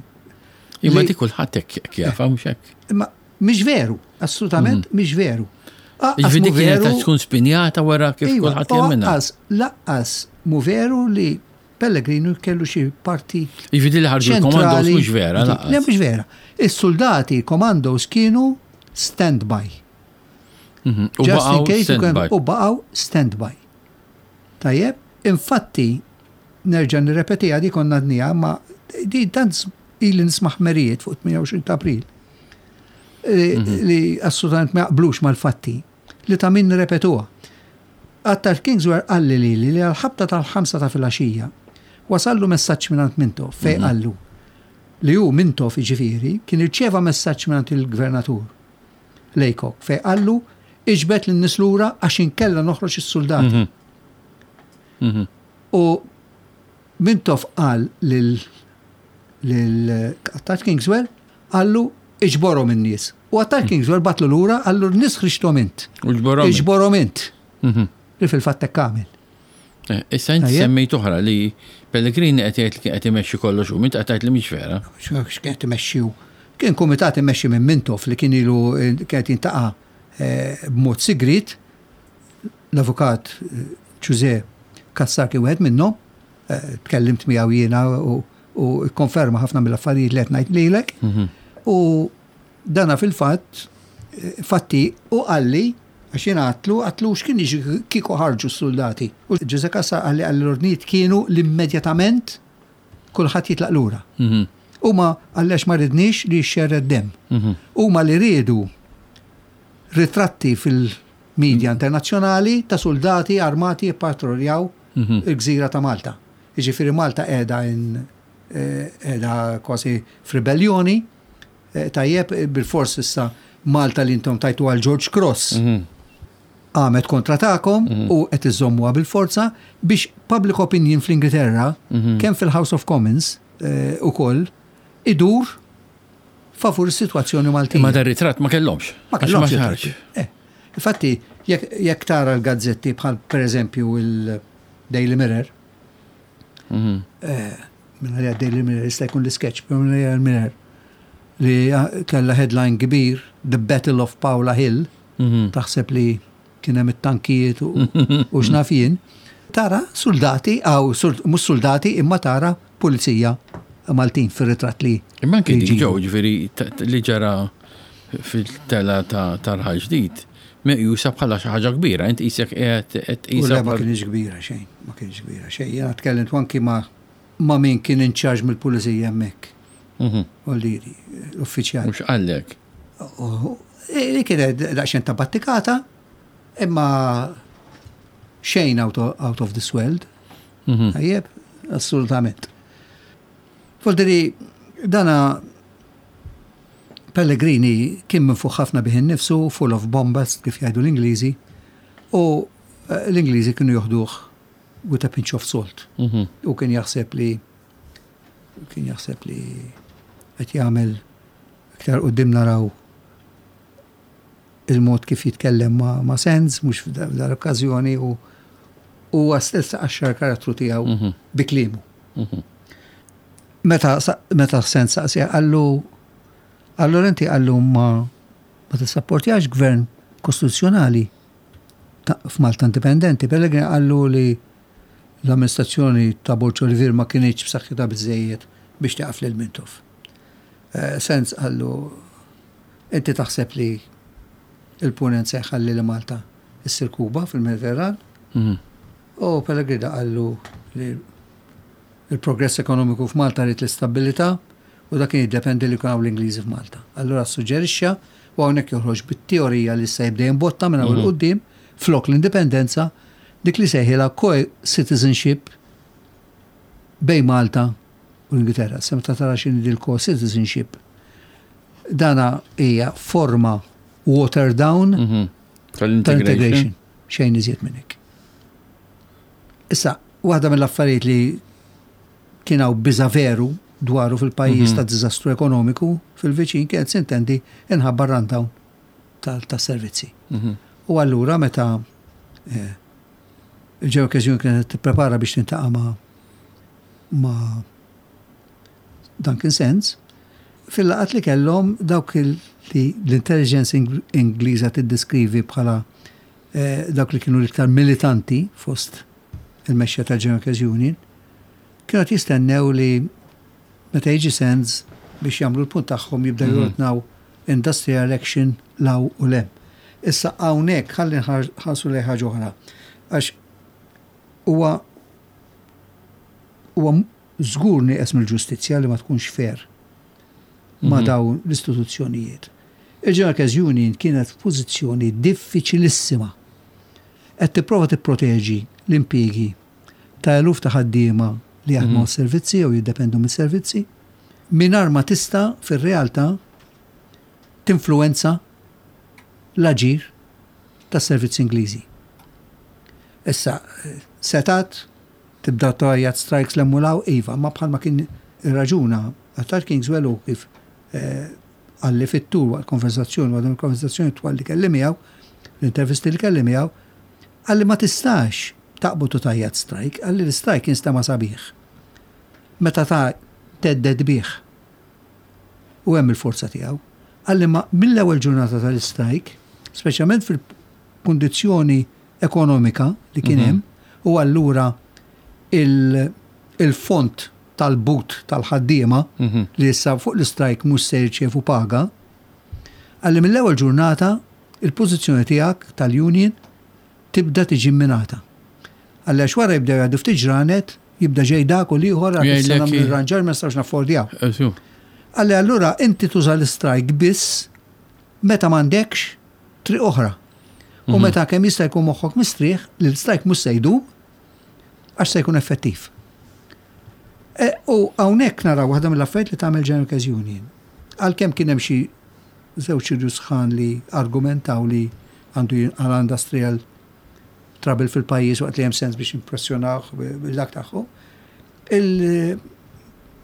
A: Imma dik kulħadd hekk jafha mhux hekk.
B: Imma mhix veru, assolutament mhm. mhix veru.
A: Jiġifieri dik kienet tkun spinjata wara kif iva, kulħadd jemminha.
B: Laqqas, laqqas mu veru li Pellegrino kellu xi parti.
A: Jiġifieri li ħarġu l-komandos mhux vera.
B: Le mhux vera. Is-soldati komandos kienu stand-by.
A: Mhm. U baqgħu
B: U baqgħu stand-by. Tajjeb, infatti Nerġa' nirrepetiha, di konna għadniha, imma di tant ili nisma' ħmerijiet fuq 28 ta' April eh, mhm. li assolutament ma jaqblux mal-fatti li ta' min nirrepetuha. Attard Kingswear qalli li li għal-ħabta tal-ħamsa ta' filgħaxija wasallu messaġġ mingħand Mintoff fejn mhm. qallu li hu Mintoff jiġifieri kien irċieva messaġġ mingħand il-gvernatur Laycock fejn qallu iġbed lin-nies lura għax inkella noħroġ is-suldati. Mhm. U Mintoff qal lil lil Attard Kingswell qallu iġborhom in-nies. U Attard Kingswell bagħatlu lura qallu n-nies ħriġthom int. Iġborhom int. Mhm. Li fil-fatt hekk għamel.
A: Eh, issa inti semmejt oħra li Pellegrini qed jgħid li kien qed imexxi kollox u mint qed tgħid li mhix vera.
B: X'kien qed imexxi hu? Kien kumitat immexxi minn Mintoff li kien ilu eh, kien qed jintaqa' eh, b'mod sigriet L-avukat Ġużè Cassar kien wieħed minnhom, tkellimt miegħu jiena u kkonferma ħafna mill-affarijiet li qed ngħid lilek. Mhm. U dana fil-fatt, fatti u qalli għax jiena għatlu, għatlu x'kien jiġri kieku ħarġu s-suldati. U Ġużè Cassar qalli qalli l-ordnijiet kienu l-immedjatament kulħadd jitlaq lura. Mhm. Huma għallex ma ridniex li jixxerred demm. Mhm. Huma li riedu ritratti fil-media internazzjonali ta' suldati armati jippatroljaw mhm. il-gżira ta' Malta. Jiġifieri Malta qiegħda eh, qiegħda kważi f'ribellioni, eh, tajjeb bil-fors issa Malta li intom tajtu għal George Cross. Mhm. Għamet kontra tagħkom mhm. u qed iżommuha bil-forza biex public opinion fl-Ingilterra, kemm fil-House of Commons eh, ukoll idur favur is-sitwazzjoni Maltija.
A: Imma dar ritratt ma kellhomx.
B: Ma kellhomx. Eh, infatti, jekk tara l-gazzetti bħal pereżempju il- Daily Mirror, minn għalija Daily Mirror jista' jkun l-sketch, però minn għalija l-Mirror li kellha headline kbir, The Battle of Paola Hill, taħseb li kien hemm it-tankijiet u x'naf jien, tara soldati, aw mhux soldati imma tara pulizija Maltin fir-ritratt li.
A: Imma anke dik ġew, ġifieri li ġara fil-tela ta' Raħal Ġdid, meqjusa bħala xi ħaġa kbira, int qisek qiegħed qed
B: tqisha. Ma kienx kbira xejn, ma kienx kbira xejn. Jiena tkellimt anki ma' ma' min kien in charge mill-pulizija hemmhekk. U li l-uffiċjal.
A: Mhux qallek.
B: Li kienet daqsxejn ta' battikata, imma xejn out of, out of this world. Tajjeb, assolutament. Voldiri, dana Pellegrini kien minfuħ ħafna bih innifsu, full of bombast, kif jgħidu l-Ingliżi, u l-Ingliżi kienu joħduh with a pinch of salt. U kien jaħseb li kien jaħseb li qed jagħmel iktar quddiem naraw il-mod kif jitkellem ma', ma Sands, mhux f'dar okkażjoni u huwa stess qaxxar karattru tiegħu bi kliemu. Meta meta Sands saqsija qallu allura inti qallu ma ma tissapportjax gvern kostituzzjonali f'Malta indipendenti. Pellegrini qallu li l-amministrazzjoni ta' Borg Olivier ma kinitx b'saħħitha biżejjed biex tieqaf lil Mintoff. Sands qallu inti taħseb li il-punent se jħalli li Malta issir Kuba fil-Mediterran? U Pellegrini qallu li il-progress ekonomiku f'Malta rrid l-istabilità u dak kien jiddependi li jkun hawn l-Ingliżi f'Malta. Allura suġġerixxa u hawnhekk joħroġ bit-teorija li se jibda jimbotta minn hawn 'il quddiem flok l-indipendenza dik li sejħilha co-citizenship bejn Malta u l-Ingilterra. Se meta tara x'inhi dil co-citizenship dana hija forma watered down
A: tal-integration.
B: Xejn iżjed minn hekk. Issa, waħda mill-affarijiet li kien hawn biża veru dwaru fil-pajjiż ta' diżastru ekonomiku fil-viċin kienet sintendi inħabba rundown tas-servizzi. U allura meta il-General Workers Union kienet tipprepara biex tintaqa' ma' ma' Duncan Sands, fil-laqgħat li kellhom dawk li l-intelligence Ingliża tiddeskrivi bħala dawk li kienu l-iktar militanti fost il-mexxija tal-General Workers Union, kienu qed jistennew li meta jiġi Sands biex jagħmlu l-punt tagħhom jibdew jordnaw industrial action 'l hawn u 'l hemm. Issa hawnhekk ħalli nħarsu lejn ħaġa oħra għax huwa huwa żgur nieqes mill-ġustizzja li ma tkunx fair ma' dawn l-istituzzjonijiet. Il-General Workers Union kienet f'pożizzjoni diffiċilissima. Qed tipprova tipproteġi l-impjiegi ta' eluf ta' ħaddiema li jaħdmu għas-servizzi jew jiddependu mis-servizzi, mingħajr ma tista' fir-realtà tinfluwenza l-aġir tas-servizzi Ingliżi. Issa, setgħet tibda tgħajjat strikes 'l hemm u 'l hawn, iva, ma bħalma kien irraġuna Attard Kingswell u kif qalli fit-tul waqt konversazzjoni, waqt il-konversazzjoni twal li kelli miegħu, l-intervisti li kelli miegħu, qalli ma tistax taqbad u tgħajjat strike, qalli l-strike jinstema' sabiħ. Meta ta' thedded bih. U hemm il-forza tiegħu. Qalli ma mill-ewwel ġurnata tal-strike, speċjalment fil-kundizzjoni ekonomika li kien hemm, u allura il-fond tal-but tal-ħaddiema li issa fuq l-istrajk mhux se jirċievu paga, qalli mill-ewwel ġurnata il-pożizzjoni tiegħek tal-union tibda tiġi mminata. Qalli għax wara jibdew jgħaddu ftit ġranet, jibda ġej dak u l-ieħor għax issa nagħmlu irranġar ma nistgħux naffordjaw. Qalli allura inti tuża l-istrajk biss meta m'għandekx triq oħra. U meta kemm jista' jkun moħħok mistrieħ li l-istrajk mhux se jdum għax se jkun effettiv. U hawnhekk naraw waħda mill-affarijiet li tagħmel General Workers Union. Għalkemm kien hemm xi żewġ irjus sħan li argumentaw li għandu jinqala' industrial trouble fil-pajjiż waqt li hemm sens biex impressjonawh bil-dak tagħhom.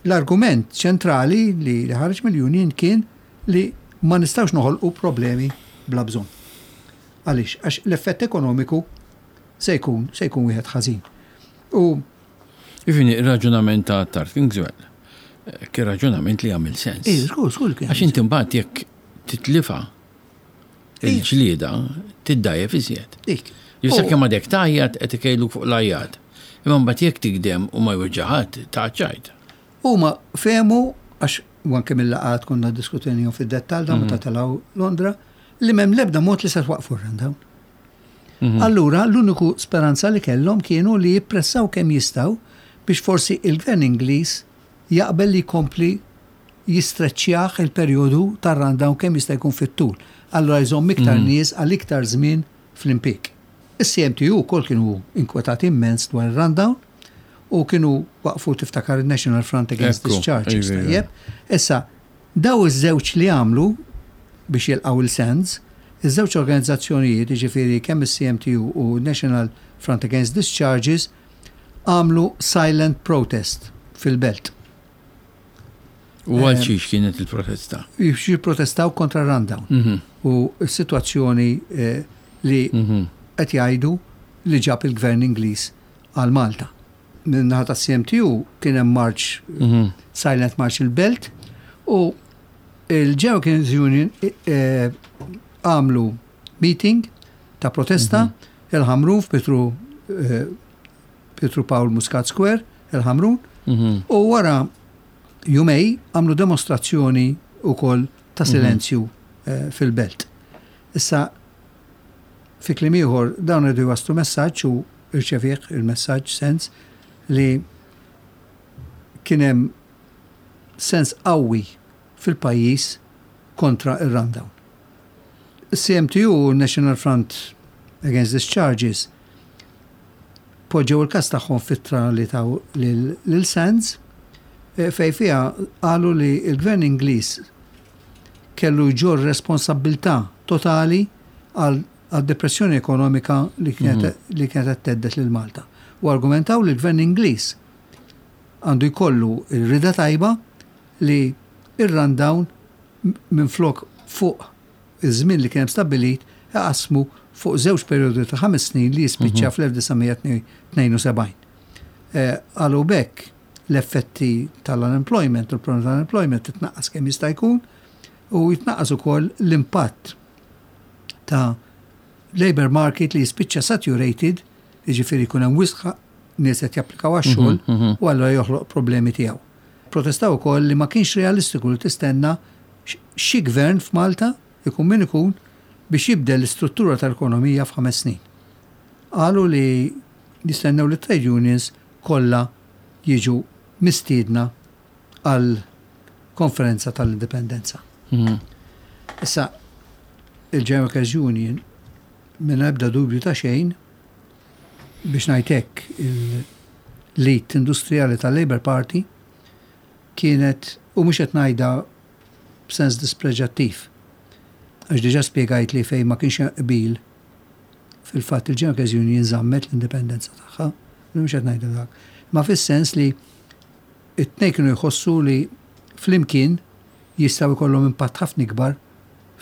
B: L-argument ċentrali li ħareġ mill-union kien li ma nistgħux noħolqu problemi bla bżonn. Għaliex? Għax l-effett ekonomiku se jkun se jkun wieħed ħażin. U
A: Jiġifieri ir-raġunament ta' Attard Kingswell eh, kien raġunament li jagħmel sens.
B: Ej, żgur, żgur kien.
A: Għax inti mbagħad jekk titlifa il-ġlieda tiddajjef iżjed.
B: Dik.
A: Jista' kemm għadek tgħajjat qed ikejluk fuq l-għajjat. Imma mbagħad jekk tigdem u ma jweġġa' ħadd, tgħaċċajt.
B: Huma fehmu għax u anke mill-laqgħat konna ddiskutejnihom fid-dettall dawn meta telgħu Londra, li m'hemm l-ebda mod li se twaqqfu r-rundown. Allura l-uniku speranza li kellhom kienu li jippressaw kemm jistgħu biex forsi il-Gvern Ingliż jaqbel li jkompli jistreċċjah il-perjodu tar-rundown kemm jista' jkun fit-tul. Allura jżomm iktar nies għal iktar żmien fl-impieg. Is-CMTU wkoll kienu inkwetati immens dwar ir-rundown u kienu waqfu tiftakar il-National Front Against Discharges. Tajjeb. Issa, daw iż-żewġ li għamlu biex jilqgħu il-Sands, iż-żewġ organizzazzjonijiet, jiġifieri kemm is-CMTU u National Front Against Discharges, għamlu silent protest fil-belt.
A: U għal eh, xiex kienet il-protesta?
B: Biex jipprotestaw kontra rundown. Mhm. U s-situazzjoni eh, li mhm. qed jgħidu li ġab il-gvern Ingliż għal Malta. Min-naħa tas-CMTU kien hemm march, mhm. silent march il-belt, u il-General Union eh, għamlu meeting ta' protesta il-Ħamrun f'Petru Pietru Pawl Muscat Square, il-Ħamrun, mhm. u wara jumej għamlu demonstrazzjoni wkoll ta' mhm. silenzju eh, fil-belt. Issa, fi kliem ieħor dawn irridu jwasslu messaġġ u rċevih il-messaġġ sens li kien hemm sens qawwi fil-pajjiż kontra ir-rundown. CMTU, National Front Against Discharges, poġġew il-każ tagħhom f'ittra li taw lil Sands eh, fejn fiha qalu li l-Gvern Ingliż kellu jġorr responsabbiltà totali għal għad-depressjoni ekonomika li kienet mhm. li kienet qed tgħeddet lil Malta. U argumentaw li l-Gvern Ingliż għandu jkollu r-rida tajba li ir-rundown minflok fuq iż-żmien li kien hemm stabbilit iqassmu fuq żewġ perjodi ta' ħames snin li jispiċċa mhm. fl-1972. Eh, qalu b'hekk l-effetti tal-unemployment u l-problemi tal-unemployment titnaqqas kemm jista' jkun u jitnaqqas ukoll l-impatt ta' labor market li jispiċċa saturated, jiġifieri jkun hemm wisq nies qed japplikaw għax-xogħol mhm, mhm. u allura joħloq problemi tiegħu. Protestaw ukoll li ma kienx realistiku li tistenna xi gvern f'Malta, ikun min ikun, biex jibdel l-istruttura tal-ekonomija f'ħames snin. Qalu li jistennew li t-trade unions kollha jiġu mistiedna għal konferenza tal-indipendenza. Mhm. Issa, il-General Workers Union minn ebda dubju ta' xejn biex ngħid hekk il-lit industrijali tal-Labour Party kienet, u mhux qed ngħidha b'sens dispreġjattiv, għax diġà spjegajt li fejn ma kienx hemm qbil, fil-fatt il-General Workers Union żammet l-indipendenza tagħha, mhux qed ngħidha dak. Ma fis-sens li it-tnejn kienu jħossu li flimkien jistgħu jkollhom impatt ħafna ikbar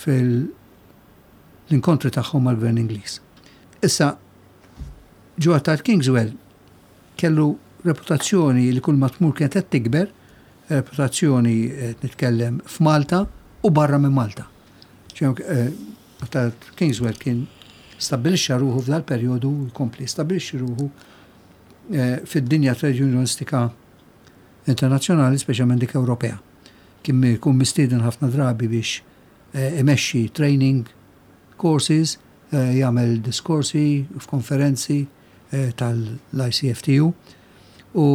B: fil-inkontri tagħhom mal-Gvern Ingliż. Issa, Joe Attard Kingswell kellu reputazzjoni li kull ma tmur kienet qed tikber, reputazzjoni qed nitkellem f'Malta u barra minn Malta. Eh, Attard Kingswell kien stabbilixxa ruħu f'dal perjodu jkompli stabbilixxi ruħu eh, fid-dinja trade unionistika internazzjonali, speċjalment dik Ewropea. Kien jkun mistieden ħafna drabi biex eh, imexxi training courses, jagħmel diskorsi f'konferenzi tal-ICFTU u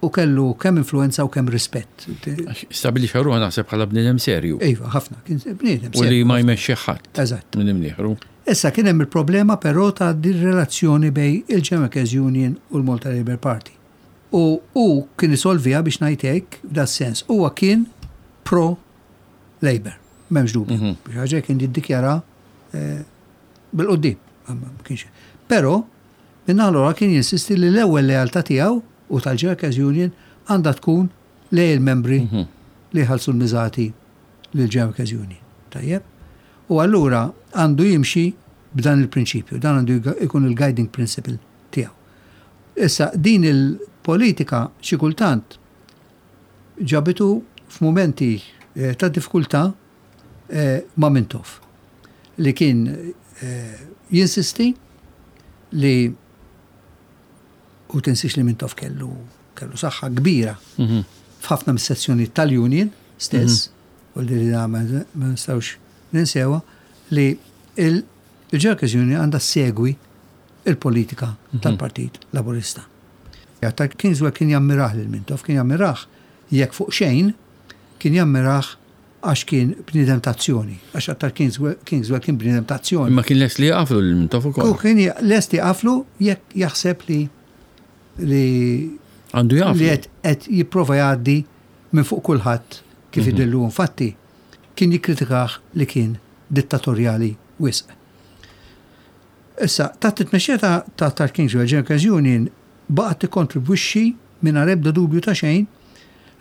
B: u kellu kemm influenza u kemm rispett.
A: Stabilixxa ruħu naħseb bħala bniedem serju.
B: Iva, ħafna, kien bniedem
A: serju. U li ma jmexxi ħadd.
B: Eżatt.
A: Minn imnieħru.
B: Issa kien hemm il-problema però ta' din relazzjoni bejn il-General Workers Union u l-Malta Labour Party. U hu kien isolviha biex ngħid hekk f'da sens. Huwa kien pro Labour, m'hemmx dubju. Mhm. Biex ħaġa kien jiddikjara eh, bil-qudiem. Però, minn allura kien jinsisti li l-ewwel lealtà tiegħu u tal-Workers Union għandha tkun lej il-membri mhm. li jħallsu l-miżati lil Workers Union. Tajjeb? U allura għandu jimxi b'dan il-prinċipju, dan għandu jkun il-guiding principle tiegħu. Issa din il-politika xi kultant ġabitu f'mumenti ta' diffikultà ma' Mintoff li kien jinsisti li u tinsiex li Mintoff kellu kellu saħħa kbira mhm. f'ħafna mis-sezzjonijiet tal-union stess, mhm. u li ma nistgħux ninsewa li il-Workers Union għandha segwi il-politika mhm. tal-Partit Laburista. Ta' Kingswell kien jammirah lil Mintoff, kien jammirah jekk fuq xejn, kien jammirah għax kien bniedem ta' azzjoni, għax aktar Kingswell kien bniedem ta' azzjoni.
A: Imma kien lest li jaqaflu lil Mintoff ukoll.
B: U kien lest jaqaflu jekk jaħseb li li
A: għandu jaqaflu.
B: Li qed jipprova jgħaddi minn fuq kulħadd kif mhm. idillu infatti kien jikkritikah li kien dittatorjali wisq. Issa, taħt it-tmexxija ta' ta' Kingswell, General Union baqgħet tikkontribwixxi mingħajr ebda dubju ta' xejn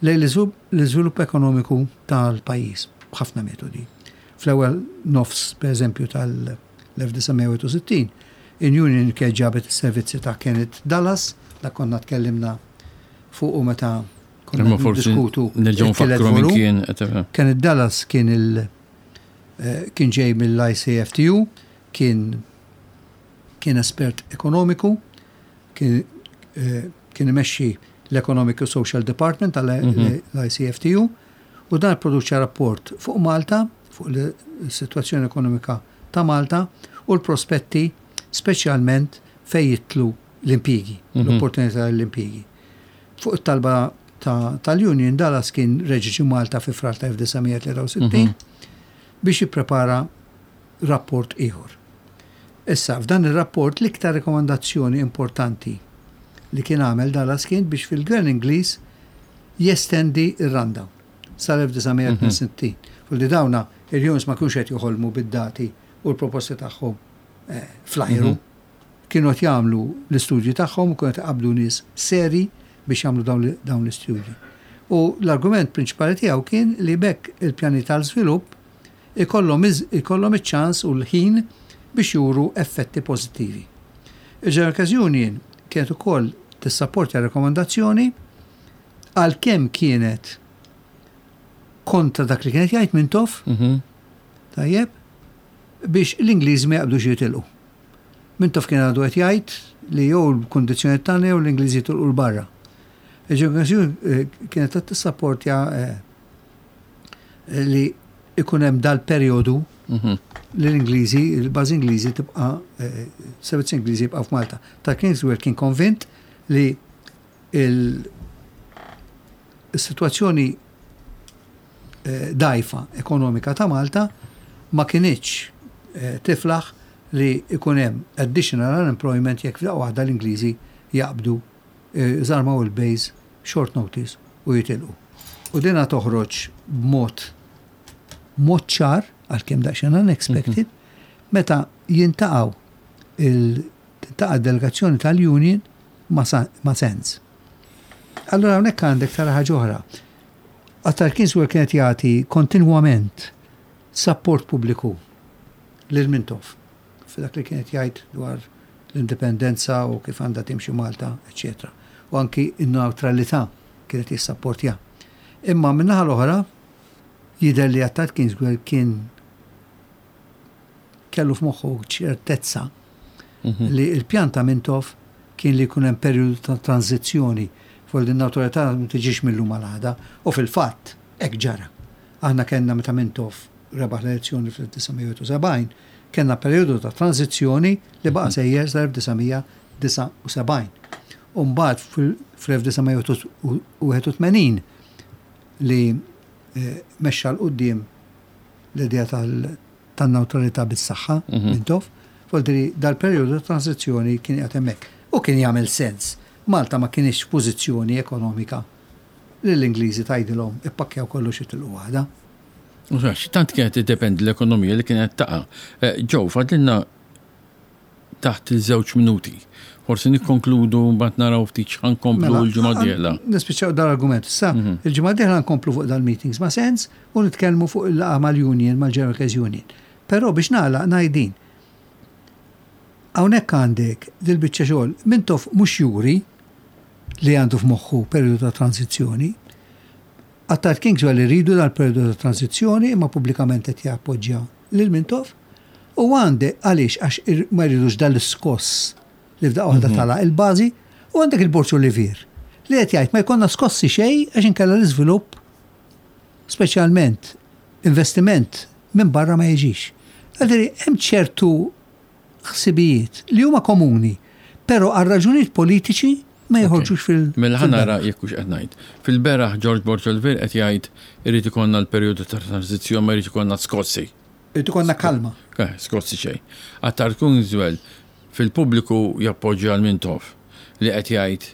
B: lejn l-iżvilupp ekonomiku tal-pajjiż b'ħafna metodi. Fl-ewwel nofs, pereżempju, tal-1961, in-Union kienet ġabet is-servizzi ta' Kenneth Dallas, dak konna tkellimna fuqu meta konna niddiskutu
A: it-tielet volum.
B: Kenneth Dallas kien il kien ġej mill-ICFTU, kien kien espert ekonomiku, kien kien imexxi l-Economic u Social Department tal-ICFTU u dan produċa rapport fuq Malta, fuq l-sitwazzjoni ekonomika ta' Malta u l-prospetti speċjalment fejn jidħlu l-impjiegi, l-opportunità l-impjiegi. Fuq it-talba tal-Union Dallas kien reġa' ġie Malta fi Frar ta' 1963 biex jipprepara rapport ieħor. Issa, f'dan ir-rapport l-iktar rekomandazzjoni importanti li kien għamel Dallas kien biex fil-Gvern Ingliż jestendi r-rundown sal-1962. Fuq li dawna il-unions ma kinux qed joħolmu bid-dati u l-proposti tagħhom eh, fl-ajru. Mhm. Kienu qed jagħmlu l-istudji tagħhom u kienu qed iqabbdu nies seri biex jagħmlu dawn l-istudji. U l-argument prinċipali tiegħu kien li bekk il-pjani tal-żvilupp ikollhom ikollhom iċ-ċans u l-ħin biex juru effetti pożittivi. Il-General Workers Union kienet ukoll tissapportja r-rakkomandazzjoni għalkemm kienet kontra dak li kien qed jgħid Mintoff, mhm. tajjeb, biex l-Ingliżi ma jaqbdux jitilqu. Mintoff kien għadu qed jgħid li jew l-kundizzjoni tagħna jew l-Ingliżi jitilqu 'l barra. Il-General Workers Union eh, kienet qed tissapportja eh, li ikun hemm dal-perjodu mhm. li l-Ingliżi, il-bażi Ingliżi tibqa' eh, servizzi Ingliżi jibqa' f'Malta. Ta' Kingswell kien konvint li il-situazzjoni eh, dajfa ekonomika ta' Malta ma kinitx eh, tiflaħ li ikun hemm additional unemployment jekk f'daqqa waħda l-Ingliżi jaqbdu żarmaw il-base short notice u jitilqu. U dina toħroġ b'mod mod ċar, għalkemm daqsxejn unexpected, meta jintaqgħu il tintaqa' delegazzjoni tal-union ma' ma' Sands. Allura hawnhekk għandek tara ħaġa oħra. Attar Kingswell kienet jagħti kontinwament sapport pubbliku lil Mintoff. F'dak li kien qed jgħid dwar l-indipendenza u kif għandha timxi Malta, eċċetera. U anki n-newtralità kien qed jissapportja. Imma min-naħa l-oħra jidher li Attard Kingswell kien kellu f'moħħu ċertezza mhm. li l-pjan ta' Mintoff kien li jkun hemm perjodu ta' tranzizzjoni fuq din newtralità ma tiġix mill-lum għal għada u fil-fatt hekk ġara. Aħna kellna meta Mintoff rebaħ l-elezzjoni fl-1971, kellna perjodu ta' tranżizzjoni li baqa' sejjer sal-1979. U mbagħad fl-1981 li mexxa 'l quddiem l-idea tan-newtralità bis-saħħa Mintoff, vuol dal-perjodu ta' tranżizzjoni kien qiegħed hemmhekk. U kien jagħmel sens. Malta ma kinitx f'pożizzjoni ekonomika li l-Ingliżi tgħidilhom ippakkjaw kollox itilqu għada.
A: Għax tant kienet tiddependi l-ekonomija li kienet taqa'. Eh, Joe, fadlilna taħt il-żewġ minuti. Forsi nikkonkludu mbagħad naraw ftit x'ħankomplu mela, l-ġimgħa dieħla.
B: Nispiċċaw dal-argument. Sa mhm. il-ġimgħa dieħla nkomplu fuq dal-meetings ma' sens u nitkellmu fuq il-laqgħa mal-union, mal-General Workers Union. Però biex nagħlaq ngħidin. Hawnhekk għandek dil-biċċa xogħol Mintoff mhux juri li għandu f'moħħu perjodu ta' transizzjoni. Attard Kingswell iridu dal-perjodu ta' transizzjoni imma pubblikament qed jappoġġja lil Mintoff. U għandek għaliex għax ma jridux dal-iskoss li f'daqqa waħda mhm. tala il-bażi u għandek il-Borċu Olivier li qed jgħid ma jkollna skossi xejn għax inkella l-iżvilupp speċjalment investiment minn barra ma jiġix. Għadiri, hemm ċertu ħsibijiet li huma komuni, però għal raġunijiet politiċi ma joħorġux fil-
A: Mela ħa nara jekk hux qed ngħid. Fil-beraħ George Borg Olivier qed jgħid irid ikollna l-perjodu ta' transizzjoni ma jridx ikollna skossi.
B: Irid ikollna kalma.
A: Eh, skossi xejn. Attard Kingswell fil-pubbliku jappoġġja l-Mintoff li qed jgħid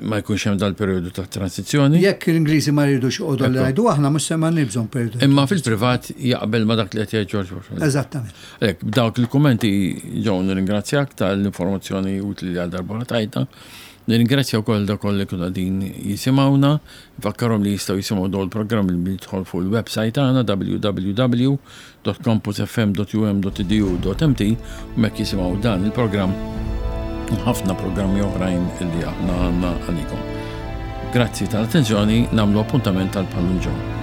A: ma jkunx hemm dal-perjodu ta' transizzjoni.
B: Jekk l-Ingliżi ma jridux joqogħdu li ngħidu aħna mhux se ma bżonn perjodu.
A: Imma fil-privat jaqbel ma dak li qed jgħid George Bush.
B: Eżattament.
A: Hekk b'dawk il-kummenti ġew nirringrazzjak tal-informazzjoni utli li għal darba tajta. Nirringrazzja wkoll dak li kienu qegħdin jisimgħuna. Nfakkarhom li jistgħu jisimgħu dawn il-programm li jidħol fuq il-website tagħna www www.campusfm.um.edu.mt u mek jisimgħu dan il-programm u ħafna programmi oħrajn illi aħna għandna għalikom. Grazzi tal-attenzjoni, namlu appuntament tal-Pallu ġew.